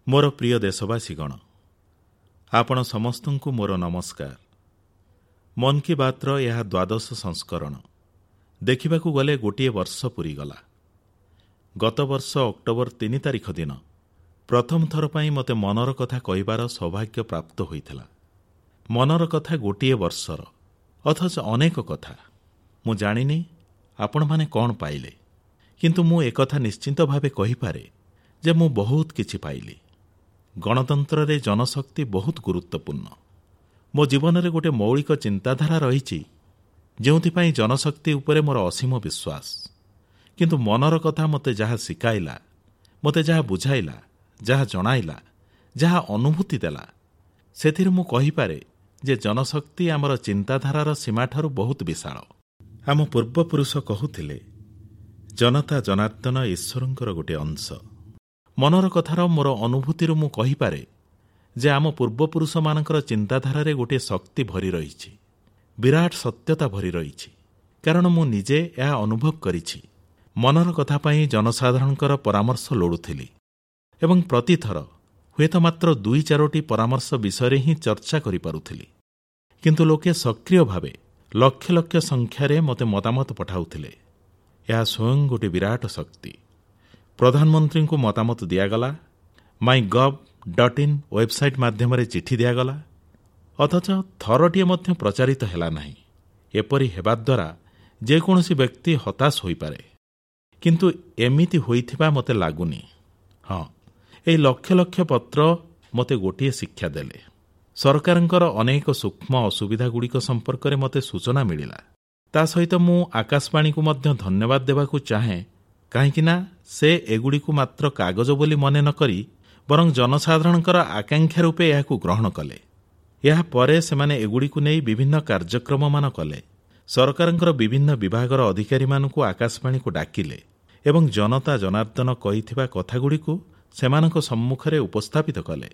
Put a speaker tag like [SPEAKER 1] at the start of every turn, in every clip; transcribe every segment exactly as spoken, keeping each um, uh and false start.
[SPEAKER 1] ମୋର ପ୍ରିୟ ଦେଶବାସୀଗଣ, ଆପଣ ସମସ୍ତଙ୍କୁ ମୋର ନମସ୍କାର। ମନ୍ କି ବାତ୍ର ଏହା ଦ୍ୱାଦଶ ସଂସ୍କରଣ। ଦେଖିବାକୁ ଗଲେ ଗୋଟିଏ ବର୍ଷ ପୂରିଗଲା। ଗତବର୍ଷ ଅକ୍ଟୋବର ତିନି ତାରିଖ ଦିନ ପ୍ରଥମ ଥର ପାଇଁ ମୋତେ ମନର କଥା କହିବାର ସୌଭାଗ୍ୟ ପ୍ରାପ୍ତ ହୋଇଥିଲା। ମନର କଥା ଗୋଟିଏ ବର୍ଷର, ଅଥଚ ଅନେକ କଥା। ମୁଁ ଜାଣିନି ଆପଣମାନେ କଣ ପାଇଲେ, କିନ୍ତୁ ମୁଁ ଏକଥା ନିଶ୍ଚିତ ଭାବେ କହିପାରେ ଯେ ମୁଁ ବହୁତ କିଛି ପାଇଲି। ଗଣତନ୍ତ୍ରରେ ଜନଶକ୍ତି ବହୁତ ଗୁରୁତ୍ୱପୂର୍ଣ୍ଣ। ମୋ ଜୀବନରେ ଗୋଟିଏ ମୌଳିକ ଚିନ୍ତାଧାରା ରହିଛି, ଯେଉଁଥିପାଇଁ ଜନଶକ୍ତି ଉପରେ ମୋର ଅସୀମ ବିଶ୍ୱାସ। କିନ୍ତୁ ମନର କଥା ମୋତେ ଯାହା ଶିଖାଇଲା, ମୋତେ ଯାହା ବୁଝାଇଲା, ଯାହା ଜଣାଇଲା, ଯାହା ଅନୁଭୂତି ଦେଲା, ସେଥିରୁ ମୁଁ କହିପାରେ ଯେ ଜନଶକ୍ତି ଆମର ଚିନ୍ତାଧାରାର ସୀମାଠାରୁ ବହୁତ ବିଶାଳ। ଆମ ପୂର୍ବପୁରୁଷ କହୁଥିଲେ, ଜନତା ଜନାର୍ଦ୍ଦନ ଈଶ୍ୱରଙ୍କର ଗୋଟିଏ ଅଂଶ। ମନର କଥାର ମୋର ଅନୁଭୂତିରୁ ମୁଁ କହିପାରେ ଯେ ଆମ ପୂର୍ବପୁରୁଷମାନଙ୍କର ଚିନ୍ତାଧାରାରେ ଗୋଟିଏ ଶକ୍ତି ଭରି ରହିଛି, ବିରାଟ ସତ୍ୟତା ଭରି ରହିଛି, କାରଣ ମୁଁ ନିଜେ ଏହା ଅନୁଭବ କରିଛି। ମନର କଥା ପାଇଁ ଜନସାଧାରଣଙ୍କର ପରାମର୍ଶ ଲୋଡ଼ୁଥିଲି ଏବଂ ପ୍ରତିଥର ହୁଏତ ମାତ୍ର ଦୁଇ ଚାରୋଟି ପରାମର୍ଶ ବିଷୟରେ ହିଁ ଚର୍ଚ୍ଚା କରିପାରୁଥିଲି, କିନ୍ତୁ ଲୋକେ ସକ୍ରିୟ ଭାବେ ଲକ୍ଷ ଲକ୍ଷ ସଂଖ୍ୟାରେ ମୋତେ ମତାମତ ପଠାଉଥିଲେ। ଏହା ସ୍ୱୟଂ ଗୋଟିଏ ବିରାଟ ଶକ୍ତି। ପ୍ରଧାନମନ୍ତ୍ରୀଙ୍କୁ ମତାମତ ଦିଆଗଲା, ମାଇ ଗଭ୍ ଡଟ୍ ଇନ୍ ୱେବସାଇଟ୍ ମାଧ୍ୟମରେ ଚିଠି ଦିଆଗଲା, ଅଥଚ ଥରଟିଏ ମଧ୍ୟ ପ୍ରଚାରିତ ହେଲା ନାହିଁ। ଏପରି ହେବା ଦ୍ୱାରା ଯେକୌଣସି ବ୍ୟକ୍ତି ହତାଶ ହୋଇପାରେ, କିନ୍ତୁ ଏମିତି ହୋଇଥିବା ମୋତେ ଲାଗୁନି। ହଁ, ଏହି ଲକ୍ଷ ଲକ୍ଷ ପତ୍ର ମୋତେ ଗୋଟିଏ ଶିକ୍ଷା ଦେଲେ। ସରକାରଙ୍କର ଅନେକ ସୂକ୍ଷ୍ମ ଅସୁବିଧାଗୁଡ଼ିକ ସମ୍ପର୍କରେ ମୋତେ ସୂଚନା ମିଳିଲା। ତା ସହିତ ମୁଁ ଆକାଶବାଣୀକୁ ମଧ୍ୟ ଧନ୍ୟବାଦ ଦେବାକୁ ଚାହେଁ, କାହିଁକିନା ସେ ଏଗୁଡ଼ିକୁ ମାତ୍ର କାଗଜ ବୋଲି ମନେ ନ କରି ବରଂ ଜନସାଧାରଣଙ୍କର ଆକାଂକ୍ଷା ରୂପେ ଏହାକୁ ଗ୍ରହଣ କଲେ। ଏହାପରେ ସେମାନେ ଏଗୁଡ଼ିକୁ ନେଇ ବିଭିନ୍ନ କାର୍ଯ୍ୟକ୍ରମମାନ କଲେ। ସରକାରଙ୍କର ବିଭିନ୍ନ ବିଭାଗର ଅଧିକାରୀମାନଙ୍କୁ ଆକାଶବାଣୀକୁ ଡାକିଲେ ଏବଂ ଜନତା ଜନାର୍ଦ୍ଦନ କହିଥିବା କଥାଗୁଡ଼ିକୁ ସେମାନଙ୍କ ସମ୍ମୁଖରେ ଉପସ୍ଥାପିତ କଲେ।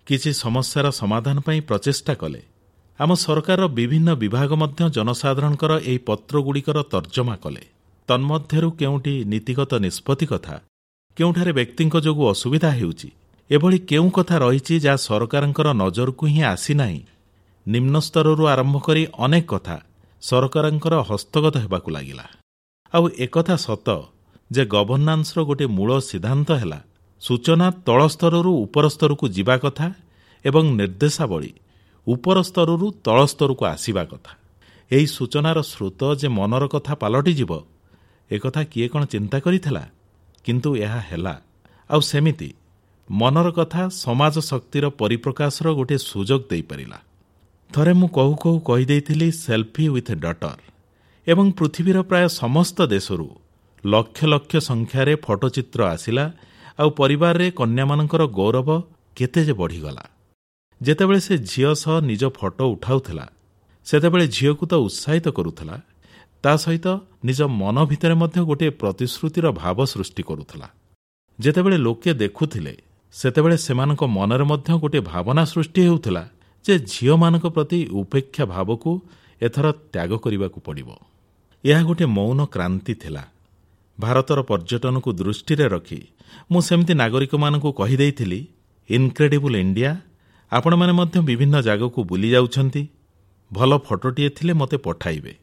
[SPEAKER 1] କିଛି ସମସ୍ୟାର ସମାଧାନ ପାଇଁ ପ୍ରଚେଷ୍ଟା କଲେ। ଆମ ସରକାରର ବିଭିନ୍ନ ବିଭାଗ ମଧ୍ୟ ଜନସାଧାରଣଙ୍କର ଏହି ପତ୍ରଗୁଡ଼ିକର ତର୍ଜମା କଲେ। ତନ୍ମଧ୍ୟରୁ କେଉଁଠି ନୀତିଗତ ନିଷ୍ପତ୍ତି କଥା, କେଉଁଠାରେ ବ୍ୟକ୍ତିଙ୍କ ଯୋଗୁଁ ଅସୁବିଧା ହେଉଛି, ଏଭଳି କେଉଁ କଥା ରହିଛି ଯାହା ସରକାରଙ୍କର ନଜରକୁ ହିଁ ଆସିନାହିଁ, ନିମ୍ନ ସ୍ତରରୁ ଆରମ୍ଭ କରି ଅନେକ କଥା ସରକାରଙ୍କର ହସ୍ତଗତ ହେବାକୁ ଲାଗିଲା। ଆଉ ଏକଥା ସତ ଯେ ଗଭର୍ଣ୍ଣାନ୍ସର ଗୋଟିଏ ମୂଳ ସିଦ୍ଧାନ୍ତ ହେଲା ସୂଚନା ତଳ ସ୍ତରରୁ ଉପର ସ୍ତରକୁ ଯିବା କଥା ଏବଂ ନିର୍ଦ୍ଦେଶାବଳୀ ଉପର ସ୍ତରରୁ ତଳ ସ୍ତରକୁ ଆସିବା କଥା। ଏହି ସୂଚନାର ସ୍ରୋତ ଯେ ମନର କଥା ପାଲଟିଯିବ, ଏକଥା କିଏ କ'ଣ ଚିନ୍ତା କରିଥିଲା? କିନ୍ତୁ ଏହା ହେଲା। ଆଉ ସେମିତି ମନର କଥା ସମାଜ ଶକ୍ତିର ପରିପ୍ରକାଶର ଗୋଟିଏ ସୁଯୋଗ ଦେଇପାରିଲା। ଥରେ ମୁଁ କହୁ କହୁ କହିଦେଇଥିଲି ସେଲ୍ଫି ୱିଥ୍ ଡଟର, ଏବଂ ପୃଥିବୀର ପ୍ରାୟ ସମସ୍ତ ଦେଶରୁ ଲକ୍ଷ ଲକ୍ଷ ସଂଖ୍ୟାରେ ଫଟୋଚିତ୍ର ଆସିଲା। ଆଉ ପରିବାରରେ କନ୍ୟାମାନଙ୍କର ଗୌରବ କେତେ ଯେ ବଢ଼ିଗଲା। ଯେତେବେଳେ ସେ ଝିଅ ସହ ନିଜ ଫଟୋ ଉଠାଉଥିଲା, ସେତେବେଳେ ଝିଅକୁ ତ ଉତ୍ସାହିତ କରୁଥିଲା, ତା ସହିତ ନିଜ ମନ ଭିତରେ ମଧ୍ୟ ଗୋଟିଏ ପ୍ରତିଶ୍ରୁତିର ଭାବ ସୃଷ୍ଟି କରୁଥିଲା। ଯେତେବେଳେ ଲୋକେ ଦେଖୁଥିଲେ, ସେତେବେଳେ ସେମାନଙ୍କ ମନରେ ମଧ୍ୟ ଗୋଟିଏ ଭାବନା ସୃଷ୍ଟି ହେଉଥିଲା ଯେ ଝିଅମାନଙ୍କ ପ୍ରତି ଉପେକ୍ଷା ଭାବକୁ ଏଥର ତ୍ୟାଗ କରିବାକୁ ପଡ଼ିବ। ଏହା ଗୋଟିଏ ମୌନ କ୍ରାନ୍ତି ଥିଲା। ଭାରତର ପର୍ଯ୍ୟଟନକୁ ଦୃଷ୍ଟିରେ ରଖି ମୁଁ ସେମିତି ନାଗରିକମାନଙ୍କୁ କହିଦେଇଥିଲି, ଇନକ୍ରେଡିବୁଲ୍ ଇଣ୍ଡିଆ, ଆପଣମାନେ ମଧ୍ୟ ବିଭିନ୍ନ ଜାଗାକୁ ବୁଲି ଯାଉଛନ୍ତି, ଭଲ ଫଟୋଟିଏ ଥିଲେ ମୋତେ ପଠାଇବେ,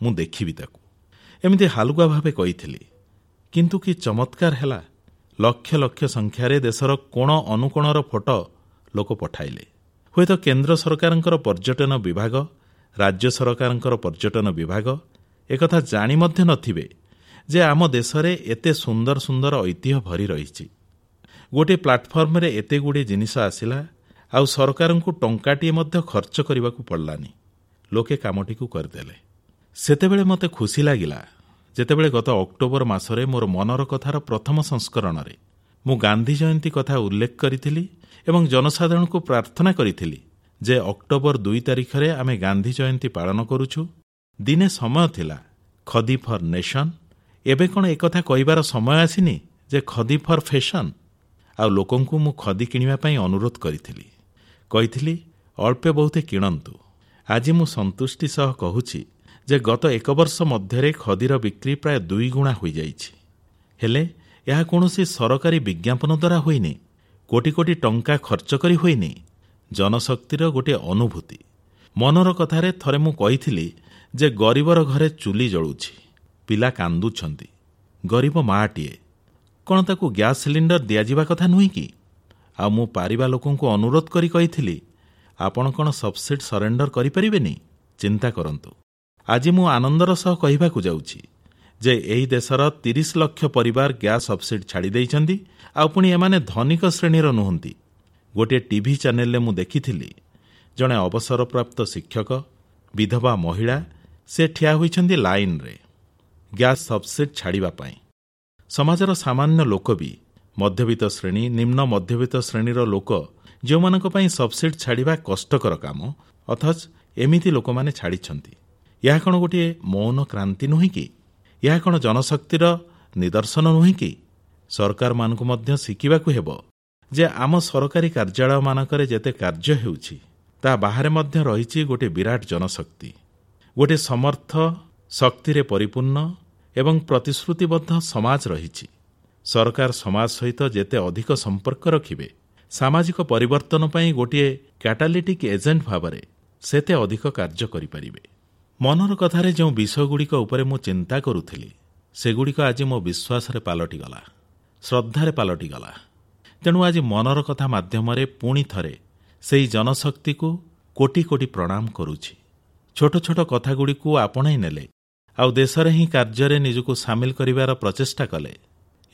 [SPEAKER 1] ମୁଁ ଦେଖିବି ତାକୁ। ଏମିତି ହାଲୁକା ଭାବେ କହିଥିଲି, କିନ୍ତୁ କି ଚମତ୍କାର ହେଲା। ଲକ୍ଷ ଲକ୍ଷ ସଂଖ୍ୟାରେ ଦେଶର କୋଣ ଅନୁକୋଣର ଫଟୋ ଲୋକ ପଠାଇଲେ। ହୁଏତ କେନ୍ଦ୍ର ସରକାରଙ୍କର ପର୍ଯ୍ୟଟନ ବିଭାଗ, ରାଜ୍ୟ ସରକାରଙ୍କର ପର୍ଯ୍ୟଟନ ବିଭାଗ ଏକଥା ଜାଣି ମଧ୍ୟ ନଥିବେ ଯେ ଆମ ଦେଶରେ ଏତେ ସୁନ୍ଦର ସୁନ୍ଦର ଐତିହ୍ୟ ଭରି ରହିଛି। ଗୋଟିଏ ପ୍ଲାଟଫର୍ମରେ ଏତେ ଗୁଡ଼ିଏ ଜିନିଷ ଆସିଲା, ଆଉ ସରକାରଙ୍କୁ ଟଙ୍କାଟିଏ ମଧ୍ୟ ଖର୍ଚ୍ଚ କରିବାକୁ ପଡ଼ିଲାନି। ଲୋକେ କାମଟିକୁ କରିଦେଲେ। ସେତେବେଳେ ମୋତେ ଖୁସି ଲାଗିଲା ଯେତେବେଳେ ଗତ ଅକ୍ଟୋବର ମାସରେ ମୋର ମନର କଥାର ପ୍ରଥମ ସଂସ୍କରଣରେ ମୁଁ ଗାନ୍ଧୀ ଜୟନ୍ତୀ କଥା ଉଲ୍ଲେଖ କରିଥିଲି ଏବଂ ଜନସାଧାରଣଙ୍କୁ ପ୍ରାର୍ଥନା କରିଥିଲି ଯେ ଅକ୍ଟୋବର ଦୁଇ ତାରିଖରେ ଆମେ ଗାନ୍ଧୀ ଜୟନ୍ତୀ ପାଳନ କରୁଛୁ। ଦିନେ ସମୟ ଥିଲା ଖଦି ଫର୍ ନେସନ୍, ଏବେ କ'ଣ ଏକଥା କହିବାର ସମୟ ଆସିନି ଯେ ଖଦି ଫର୍ ଫ୍ୟାସନ୍? ଆଉ ଲୋକଙ୍କୁ ମୁଁ ଖଦି କିଣିବା ପାଇଁ ଅନୁରୋଧ କରିଥିଲି। କହିଥିଲି ଅଳ୍ପେ ବହୁତେ କିଣନ୍ତୁ। ଆଜି ମୁଁ ସନ୍ତୁଷ୍ଟି ସହ କହୁଛି ଯେ ଗତ ଏକ ବର୍ଷ ମଧ୍ୟରେ ଖଦିର ବିକ୍ରି ପ୍ରାୟ ଦୁଇଗୁଣା ହୋଇଯାଇଛି। ହେଲେ ଏହା କୌଣସି ସରକାରୀ ବିଜ୍ଞାପନ ଦ୍ୱାରା ହୋଇନି। କୋଟି କୋଟି ଟଙ୍କା ଖର୍ଚ୍ଚ କରି ହୋଇନି, ଜନଶକ୍ତିର ଗୋଟିଏ ଅନୁଭୂତି। ମନର କଥାରେ ଥରେ ମୁଁ କହିଥିଲି ଯେ ଗରିବର ଘରେ ଚୁଲି ଜଳୁଛି, ପିଲା କାନ୍ଦୁଛନ୍ତି, ଗରିବ ମାଆଟିଏ, କଣ ତାକୁ ଗ୍ୟାସ୍ ସିଲିଣ୍ଡର ଦିଆଯିବା କଥା ନୁହେଁ କି? ଆଉ ମୁଁ ପାରିବା ଲୋକଙ୍କୁ ଅନୁରୋଧ କରି କହିଥିଲି, ଆପଣ କଣ ସବସିଡି ସରେଣ୍ଡର କରିପାରିବେନି? ଚିନ୍ତା କରନ୍ତୁ। ଆଜି ମୁଁ ଆନନ୍ଦର ସହ କହିବାକୁ ଯାଉଛି ଯେ ଏହି ଦେଶର ତିରିଶ ଲକ୍ଷ ପରିବାର ଗ୍ୟାସ୍ ସବସିଡି ଛାଡ଼ି ଦେଇଛନ୍ତି, ଆଉ ପୁଣି ଏମାନେ ଧନିକ ଶ୍ରେଣୀର ନୁହନ୍ତି। ଗୋଟିଏ ଟିଭି ଚ୍ୟାନେଲରେ ମୁଁ ଦେଖିଥିଲି, ଜଣେ ଅବସରପ୍ରାପ୍ତ ଶିକ୍ଷକ, ବିଧବା ମହିଳା, ସେ ଠିଆ ହୋଇଛନ୍ତି ଲାଇନରେ ଗ୍ୟାସ୍ ସବସିଡି ଛାଡ଼ିବା ପାଇଁ। ସମାଜର ସାମାନ୍ୟ ଲୋକ ବି, ମଧ୍ୟବିତ୍ତ ଶ୍ରେଣୀ, ନିମ୍ନ ମଧ୍ୟବିତ୍ତ ଶ୍ରେଣୀର ଲୋକ, ଯେଉଁମାନଙ୍କ ପାଇଁ ସବସିଡି ଛାଡ଼ିବା କଷ୍ଟକର କାମ, ଅଥଚ ଏମିତି ଲୋକମାନେ ଛାଡ଼ିଛନ୍ତି। ଏହା କଣ ଗୋଟିଏ ମୌନ କ୍ରାନ୍ତି ନୁହେଁ କି? ଏହା କଣ ଜନଶକ୍ତିର ନିଦର୍ଶନ ନୁହେଁ କି? ସରକାରମାନଙ୍କୁ ମଧ୍ୟ ଶିଖିବାକୁ ହେବ ଯେ ଆମ ସରକାରୀ କାର୍ଯ୍ୟାଳୟମାନଙ୍କରେ ଯେତେ କାର୍ଯ୍ୟ ହେଉଛି, ତା ବାହାରେ ମଧ୍ୟ ରହିଛି ଗୋଟିଏ ବିରାଟ ଜନଶକ୍ତି, ଗୋଟିଏ ସମର୍ଥ, ଶକ୍ତିରେ ପରିପୂର୍ଣ୍ଣ ଏବଂ ପ୍ରତିଶ୍ରୁତିବଦ୍ଧ ସମାଜ ରହିଛି। ସରକାର ସମାଜ ସହିତ ଯେତେ ଅଧିକ ସମ୍ପର୍କ ରଖିବେ, ସାମାଜିକ ପରିବର୍ତ୍ତନ ପାଇଁ ଗୋଟିଏ କ୍ୟାଟାଲିଟିକ୍ ଏଜେଣ୍ଟ ଭାବରେ ସେତେ ଅଧିକ କାର୍ଯ୍ୟ କରିପାରିବେ। ମନର କଥାରେ ଯେଉଁ ବିଷୟଗୁଡ଼ିକ ଉପରେ ମୁଁ ଚିନ୍ତା କରୁଥିଲି, ସେଗୁଡ଼ିକ ଆଜି ମୋ ବିଶ୍ୱାସରେ ପାଲଟିଗଲା, ଶ୍ରଦ୍ଧାରେ ପାଲଟିଗଲା। ତେଣୁ ଆଜି ମନର କଥା ମାଧ୍ୟମରେ ପୁଣି ଥରେ ସେହି ଜନଶକ୍ତିକୁ କୋଟି କୋଟି ପ୍ରଣାମ କରୁଛି। ଛୋଟ ଛୋଟ କଥାଗୁଡ଼ିକୁ ଆପଣେଇ ନେଲେ ଆଉ ଦେଶରେ ହିଁ କାର୍ଯ୍ୟରେ ନିଜକୁ ସାମିଲ କରିବାର ପ୍ରଚେଷ୍ଟା କଲେ,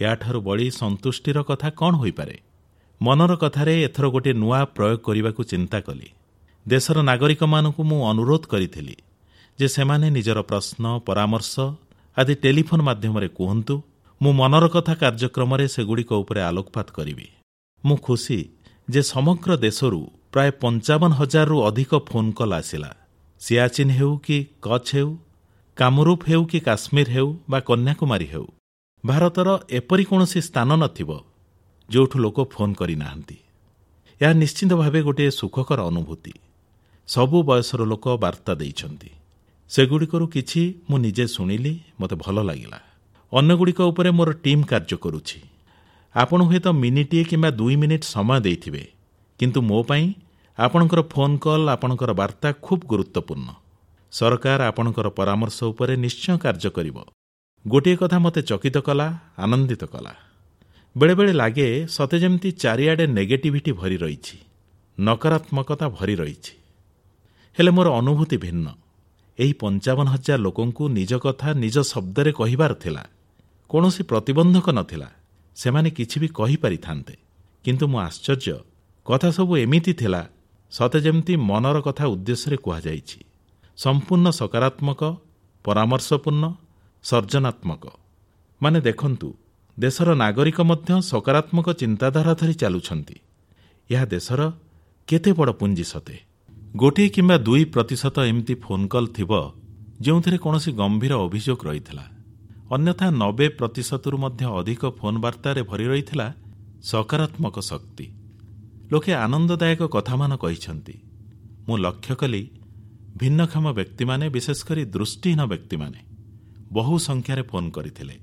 [SPEAKER 1] ଏହାଠାରୁ ବଳି ସନ୍ତୁଷ୍ଟିର କଥା କଣ ହୋଇପାରେ? ମନର କଥାରେ ଏଥର ଗୋଟିଏ ନୂଆ ପ୍ରୟୋଗ କରିବାକୁ ଚିନ୍ତା କଲି। ଦେଶର ନାଗରିକମାନଙ୍କୁ ମୁଁ ଅନୁରୋଧ କରିଥିଲି ଯେ ସେମାନେ ନିଜର ପ୍ରଶ୍ନ, ପରାମର୍ଶ ଆଦି ଟେଲିଫୋନ୍ ମାଧ୍ୟମରେ କୁହନ୍ତୁ। ମୁଁ ମନର କଥା କାର୍ଯ୍ୟକ୍ରମରେ ସେଗୁଡ଼ିକ ଉପରେ ଆଲୋକପାତ କରିବି। ମୁଁ ଖୁସି ଯେ ସମଗ୍ର ଦେଶରୁ ପ୍ରାୟ ପଞ୍ଚାବନ ହଜାରରୁ ଅଧିକ ଫୋନ୍ କଲ୍ ଆସିଲା। ସିଆଚିନ୍ ହେଉ କି କଚ୍ଛ ହେଉ, କାମରୂପ ହେଉ କି କାଶ୍ମୀର ହେଉ ବା କନ୍ୟାକୁମାରୀ ହେଉ, ଭାରତର ଏପରି କୌଣସି ସ୍ଥାନ ନଥିବ ଯେଉଁଠୁ ଲୋକ ଫୋନ୍ କରିନାହାନ୍ତି। ଏହା ନିଶ୍ଚିତ ଭାବେ ଗୋଟିଏ ସୁଖକର ଅନୁଭୂତି। ସବୁ ବୟସର ଲୋକ ବାର୍ତ୍ତା ଦେଇଛନ୍ତି। ସେଗୁଡ଼ିକରୁ କିଛି ମୁଁ ନିଜେ ଶୁଣିଲି, ମୋତେ ଭଲ ଲାଗିଲା। ଅନ୍ୟଗୁଡ଼ିକ ଉପରେ ମୋର ଟିମ୍ କାର୍ଯ୍ୟ କରୁଛି। ଆପଣ ହୁଏତ ମିନିଟିଏ କିମ୍ବା ଦୁଇ ମିନିଟ୍ ସମୟ ଦେଇଥିବେ, କିନ୍ତୁ ମୋ ପାଇଁ ଆପଣଙ୍କର ଫୋନ୍ କଲ୍, ଆପଣଙ୍କର ବାର୍ତ୍ତା ଖୁବ୍ ଗୁରୁତ୍ୱପୂର୍ଣ୍ଣ। ସରକାର ଆପଣଙ୍କର ପରାମର୍ଶ ଉପରେ ନିଶ୍ଚୟ କାର୍ଯ୍ୟ କରିବ। ଗୋଟିଏ କଥା ମୋତେ ଚକିତ କଲା, ଆନନ୍ଦିତ କଲା। ବେଳେବେଳେ ଲାଗେ ସତେ ଯେମିତି ଚାରିଆଡ଼େ ନେଗେଟିଭିଟି ଭରି ରହିଛି, ନକାରାତ୍ମକତା ଭରି ରହିଛି। ହେଲେ ମୋର ଅନୁଭୂତି ଭିନ୍ନ। ଏହି ପଞ୍ଚାବନ ହଜାର ଲୋକଙ୍କୁ ନିଜ କଥା ନିଜ ଶବ୍ଦରେ କହିବାର ଥିଲା। କୌଣସି ପ୍ରତିବନ୍ଧକ ନଥିଲା, ସେମାନେ କିଛି ବି କହିପାରିଥାନ୍ତେ। କିନ୍ତୁ ମୁଁ ଆଶ୍ଚର୍ଯ୍ୟ, କଥା ସବୁ ଏମିତି ଥିଲା ସତେ ଯେମିତି ମନର କଥା ଉଦ୍ଦେଶ୍ୟରେ କୁହାଯାଇଛି। ସମ୍ପୂର୍ଣ୍ଣ ସକାରାତ୍ମକ, ପରାମର୍ଶପୂର୍ଣ୍ଣ, ସର୍ଜନାତ୍ମକ। ମାନେ ଦେଖନ୍ତୁ, ଦେଶର ନାଗରିକ ମଧ୍ୟ ସକାରାତ୍ମକ ଚିନ୍ତାଧାରା ଧରି ଚାଲୁଛନ୍ତି। ଏହା ଦେଶର କେତେ ବଡ଼ ପୁଞ୍ଜି ସତେ! ଗୋଟିଏ କିମ୍ବା ଦୁଇ ପ୍ରତିଶତ ଏମିତି ଫୋନ୍ କଲ୍ ଥିବ ଯେଉଁଥିରେ କୌଣସି ଗମ୍ଭୀର ଅଭିଯୋଗ ରହିଥିଲା। ଅନ୍ୟଥା ନବେ ପ୍ରତିଶତରୁ ମଧ୍ୟ ଅଧିକ ଫୋନ୍ ବାର୍ତ୍ତାରେ ଭରି ରହିଥିଲା ସକାରାତ୍ମକ ଶକ୍ତି। ଲୋକେ ଆନନ୍ଦଦାୟକ କଥାମାନ କହିଛନ୍ତି। ମୁଁ ଲକ୍ଷ୍ୟ କଲି ଭିନ୍ନକ୍ଷମ ବ୍ୟକ୍ତିମାନେ, ବିଶେଷ କରି ଦୃଷ୍ଟିହୀନ ବ୍ୟକ୍ତିମାନେ ବହୁ ସଂଖ୍ୟାରେ ଫୋନ୍ କରିଥିଲେ।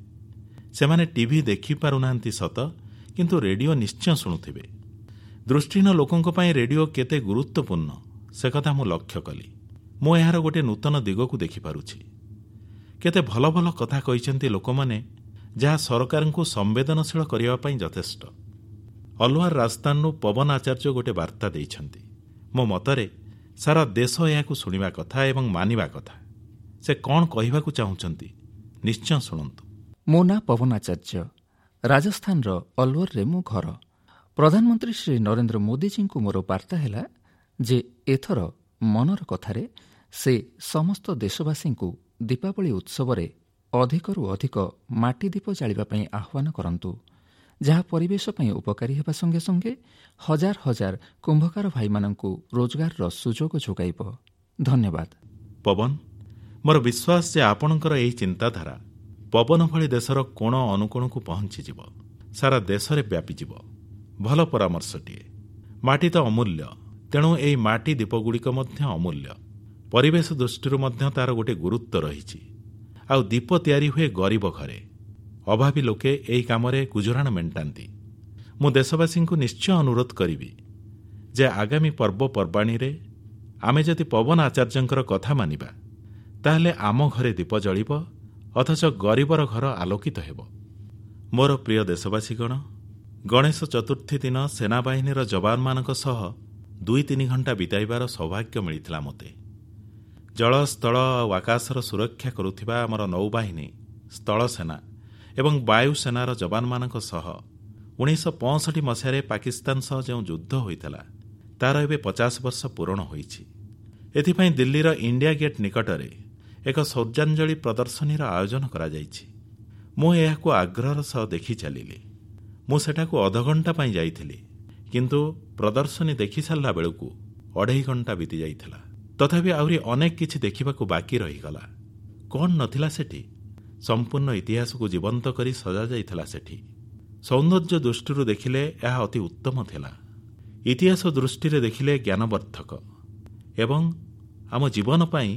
[SPEAKER 1] ସେମାନେ ଟିଭି ଦେଖିପାରୁନାହାନ୍ତି ସତ, କିନ୍ତୁ ରେଡିଓ ନିଶ୍ଚୟ ଶୁଣୁଥିବେ। ଦୃଷ୍ଟିହୀନ ଲୋକଙ୍କ ପାଇଁ ରେଡିଓ କେତେ ଗୁରୁତ୍ୱପୂର୍ଣ୍ଣ ସେ କଥା ମୁଁ ଲକ୍ଷ୍ୟ କଲି। ମୁଁ ଏହାର ଗୋଟିଏ ନୂତନ ଦିଗକୁ ଦେଖିପାରୁଛି। କେତେ ଭଲ ଭଲ କଥା କହିଛନ୍ତି ଲୋକମାନେ, ଯାହା ସରକାରଙ୍କୁ ସମ୍ବେଦନଶୀଳ କରିବା ପାଇଁ ଯଥେଷ୍ଟ। ଅଲୱାର ରାଜସ୍ଥାନରୁ ପବନ ଆଚାର୍ଯ୍ୟ ଗୋଟିଏ ବାର୍ତ୍ତା ଦେଇଛନ୍ତି। ମୋ ମତରେ ସାରା ଦେଶ ଏହାକୁ ଶୁଣିବା କଥା ଏବଂ ମାନିବା କଥା। ସେ କଣ କହିବାକୁ ଚାହୁଁଛନ୍ତି ନିଶ୍ଚୟ ଶୁଣନ୍ତୁ।
[SPEAKER 2] ମୋ ନାଁ ପବନ ଆଚାର୍ଯ୍ୟ, ରାଜସ୍ଥାନର ଅଲୱରରେ ମୋ ଘର। ପ୍ରଧାନମନ୍ତ୍ରୀ ଶ୍ରୀ ନରେନ୍ଦ୍ର ମୋଦିଜୀଙ୍କୁ ମୋର ବାର୍ତ୍ତା ହେଲା ଯେ ଏଥର ମନର କଥାରେ ସେ ସମସ୍ତ ଦେଶବାସୀଙ୍କୁ ଦୀପାବଳି ଉତ୍ସବରେ ଅଧିକରୁ ଅଧିକ ମାଟି ଦୀପ ଜାଳିବା ପାଇଁ ଆହ୍ୱାନ କରନ୍ତୁ, ଯାହା ପରିବେଶ ପାଇଁ ଉପକାରୀ ହେବା ସଙ୍ଗେ ସଙ୍ଗେ ହଜାର ହଜାର କୁମ୍ଭକାର ଭାଇମାନଙ୍କୁ ରୋଜଗାରର ସୁଯୋଗ ଯୋଗାଇବ। ଧନ୍ୟବାଦ।
[SPEAKER 1] ପବନ, ମୋର ବିଶ୍ୱାସ ଯେ ଆପଣଙ୍କର ଏହି ଚିନ୍ତାଧାରା ପବନ ଭଳି ଦେଶର କୋଣ ଅନୁକୋଣକୁ ପହଞ୍ଚିଯିବ, ସାରା ଦେଶରେ ବ୍ୟାପିଯିବ। ଭଲ ପରାମର୍ଶଟିଏ। ମାଟି ତ ଅମୂଲ୍ୟ, ତେଣୁ ଏହି ମାଟି ଦୀପଗୁଡ଼ିକ ମଧ୍ୟ ଅମୂଲ୍ୟ। ପରିବେଶ ଦୃଷ୍ଟିରୁ ମଧ୍ୟ ତାର ଗୋଟିଏ ଗୁରୁତ୍ୱ ରହିଛି। ଆଉ ଦୀପ ତିଆରି ହୁଏ ଗରିବ ଘରେ। ଅଭାବୀ ଲୋକେ ଏହି କାମରେ ଗୁଜୁରାଣ ମେଣ୍ଟାନ୍ତି। ମୁଁ ଦେଶବାସୀଙ୍କୁ ନିଶ୍ଚୟ ଅନୁରୋଧ କରିବି ଯେ ଆଗାମୀ ପର୍ବପର୍ବାଣୀରେ ଆମେ ଯଦି ପବନ ଆଚାର୍ଯ୍ୟଙ୍କର କଥା ମାନିବା, ତାହେଲେ ଆମ ଘରେ ଦୀପ ଜଳିବ, ଅଥଚ ଗରିବର ଘର ଆଲୋକିତ ହେବ। ମୋର ପ୍ରିୟ ଦେଶବାସୀଗଣ, ଗଣେଶ ଚତୁର୍ଥୀ ଦିନ ସେନାବାହିନୀର ଯବାନମାନଙ୍କ ସହ ଦୁଇ ତିନି ଘଣ୍ଟା ବିତାଇବାର ସୌଭାଗ୍ୟ ମିଳିଥିଲା ମୋତେ। ଜଳ, ସ୍ଥଳ ଆଉ ଆକାଶର ସୁରକ୍ଷା କରୁଥିବା ଆମର ନୌବାହିନୀ, ସ୍ଥଳସେନା ଏବଂ ବାୟୁସେନାର ଯବାନମାନଙ୍କ ସହ ଉଣେଇଶହ ପଞ୍ଚଷଠି ମସିହାରେ ପାକିସ୍ତାନ ସହ ଯେଉଁ ଯୁଦ୍ଧ ହୋଇଥିଲା, ତାର ଏବେ ପଚାଶ ବର୍ଷ ପୂରଣ ହୋଇଛି। ଏଥିପାଇଁ ଦିଲ୍ଲୀର ଇଣ୍ଡିଆ ଗେଟ୍ ନିକଟରେ ଏକ ଶୌର୍ଯ୍ୟାଞ୍ଜଳି ପ୍ରଦର୍ଶନୀର ଆୟୋଜନ କରାଯାଇଛି। ମୁଁ ଏହାକୁ ଆଗ୍ରହର ସହ ଦେଖି ଚାଲିଲି। ମୁଁ ସେଠାକୁ ଅଧଘଣ୍ଟା ପାଇଁ ଯାଇଥିଲି, କିନ୍ତୁ ପ୍ରଦର୍ଶନୀ ଦେଖିସାରିଲା ବେଳକୁ ଅଢ଼େଇ ଘଣ୍ଟା ବିତିଯାଇଥିଲା। ତଥାପି ଆହୁରି ଅନେକ କିଛି ଦେଖିବାକୁ ବାକି ରହିଗଲା। କଣ ନଥିଲା ସେଠି? ସମ୍ପୂର୍ଣ୍ଣ ଇତିହାସକୁ ଜୀବନ୍ତ କରି ସଜାଯାଇଥିଲା ସେଠି। ସୌନ୍ଦର୍ଯ୍ୟ ଦୃଷ୍ଟିରୁ ଦେଖିଲେ ଏହା ଅତି ଉତ୍ତମ ଥିଲା। ଇତିହାସ ଦୃଷ୍ଟିରେ ଦେଖିଲେ ଜ୍ଞାନବର୍ଦ୍ଧକ ଏବଂ ଆମ ଜୀବନ ପାଇଁ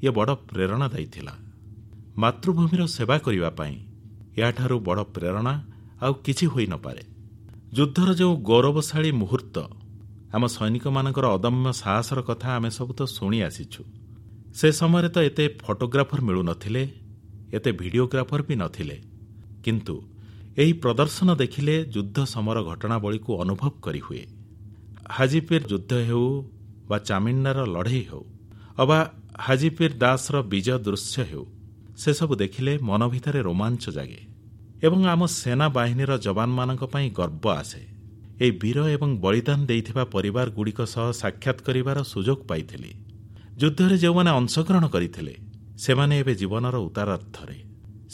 [SPEAKER 1] ଇଏ ବଡ଼ ପ୍ରେରଣାଦାୟୀ ଥିଲା। ମାତୃଭୂମିର ସେବା କରିବା ପାଇଁ ଏହାଠାରୁ ବଡ଼ ପ୍ରେରଣା ଆଉ କିଛି ହୋଇନପାରେ। ଯୁଦ୍ଧର ଯେଉଁ ଗୌରବଶାଳୀ ମୁହୂର୍ତ୍ତ, ଆମ ସୈନିକମାନଙ୍କର ଅଦମ୍ୟ ସାହସର କଥା ଆମେ ସବୁ ତ ଶୁଣି ଆସିଛୁ। ସେ ସମୟରେ ତ ଏତେ ଫଟୋଗ୍ରାଫର ମିଳୁନଥିଲେ, ଏତେ ଭିଡ଼ିଓଗ୍ରାଫର ବି ନଥିଲେ, କିନ୍ତୁ ଏହି ପ୍ରଦର୍ଶନ ଦେଖିଲେ ଯୁଦ୍ଧ ସମର ଘଟଣାବଳୀକୁ ଅନୁଭବ କରିହୁଏ। ହାଜିପୀର ଯୁଦ୍ଧ ହେଉ ବା ଚାମିଣ୍ଡାର ଲଢ଼େଇ ହେଉ ଅବା ହାଜିପୀର ଦାସର ବିଜୟ ଦୃଶ୍ୟ ହେଉ, ସେସବୁ ଦେଖିଲେ ମନ ଭିତରେ ରୋମାଞ୍ଚ ଜାଗେ ଏବଂ ଆମ ସେନା ବାହିନୀର ଯବାନମାନଙ୍କ ପାଇଁ ଗର୍ବ ଆସେ। ଏହି ବୀର ଏବଂ ବଳିଦାନ ଦେଇଥିବା ପରିବାରଗୁଡ଼ିକ ସହ ସାକ୍ଷାତ କରିବାର ସୁଯୋଗ ପାଇଥିଲି। ଯୁଦ୍ଧରେ ଯେଉଁମାନେ ଅଂଶଗ୍ରହଣ କରିଥିଲେ, ସେମାନେ ଏବେ ଜୀବନର ଉତ୍ତରାର୍ଦ୍ଧରେ।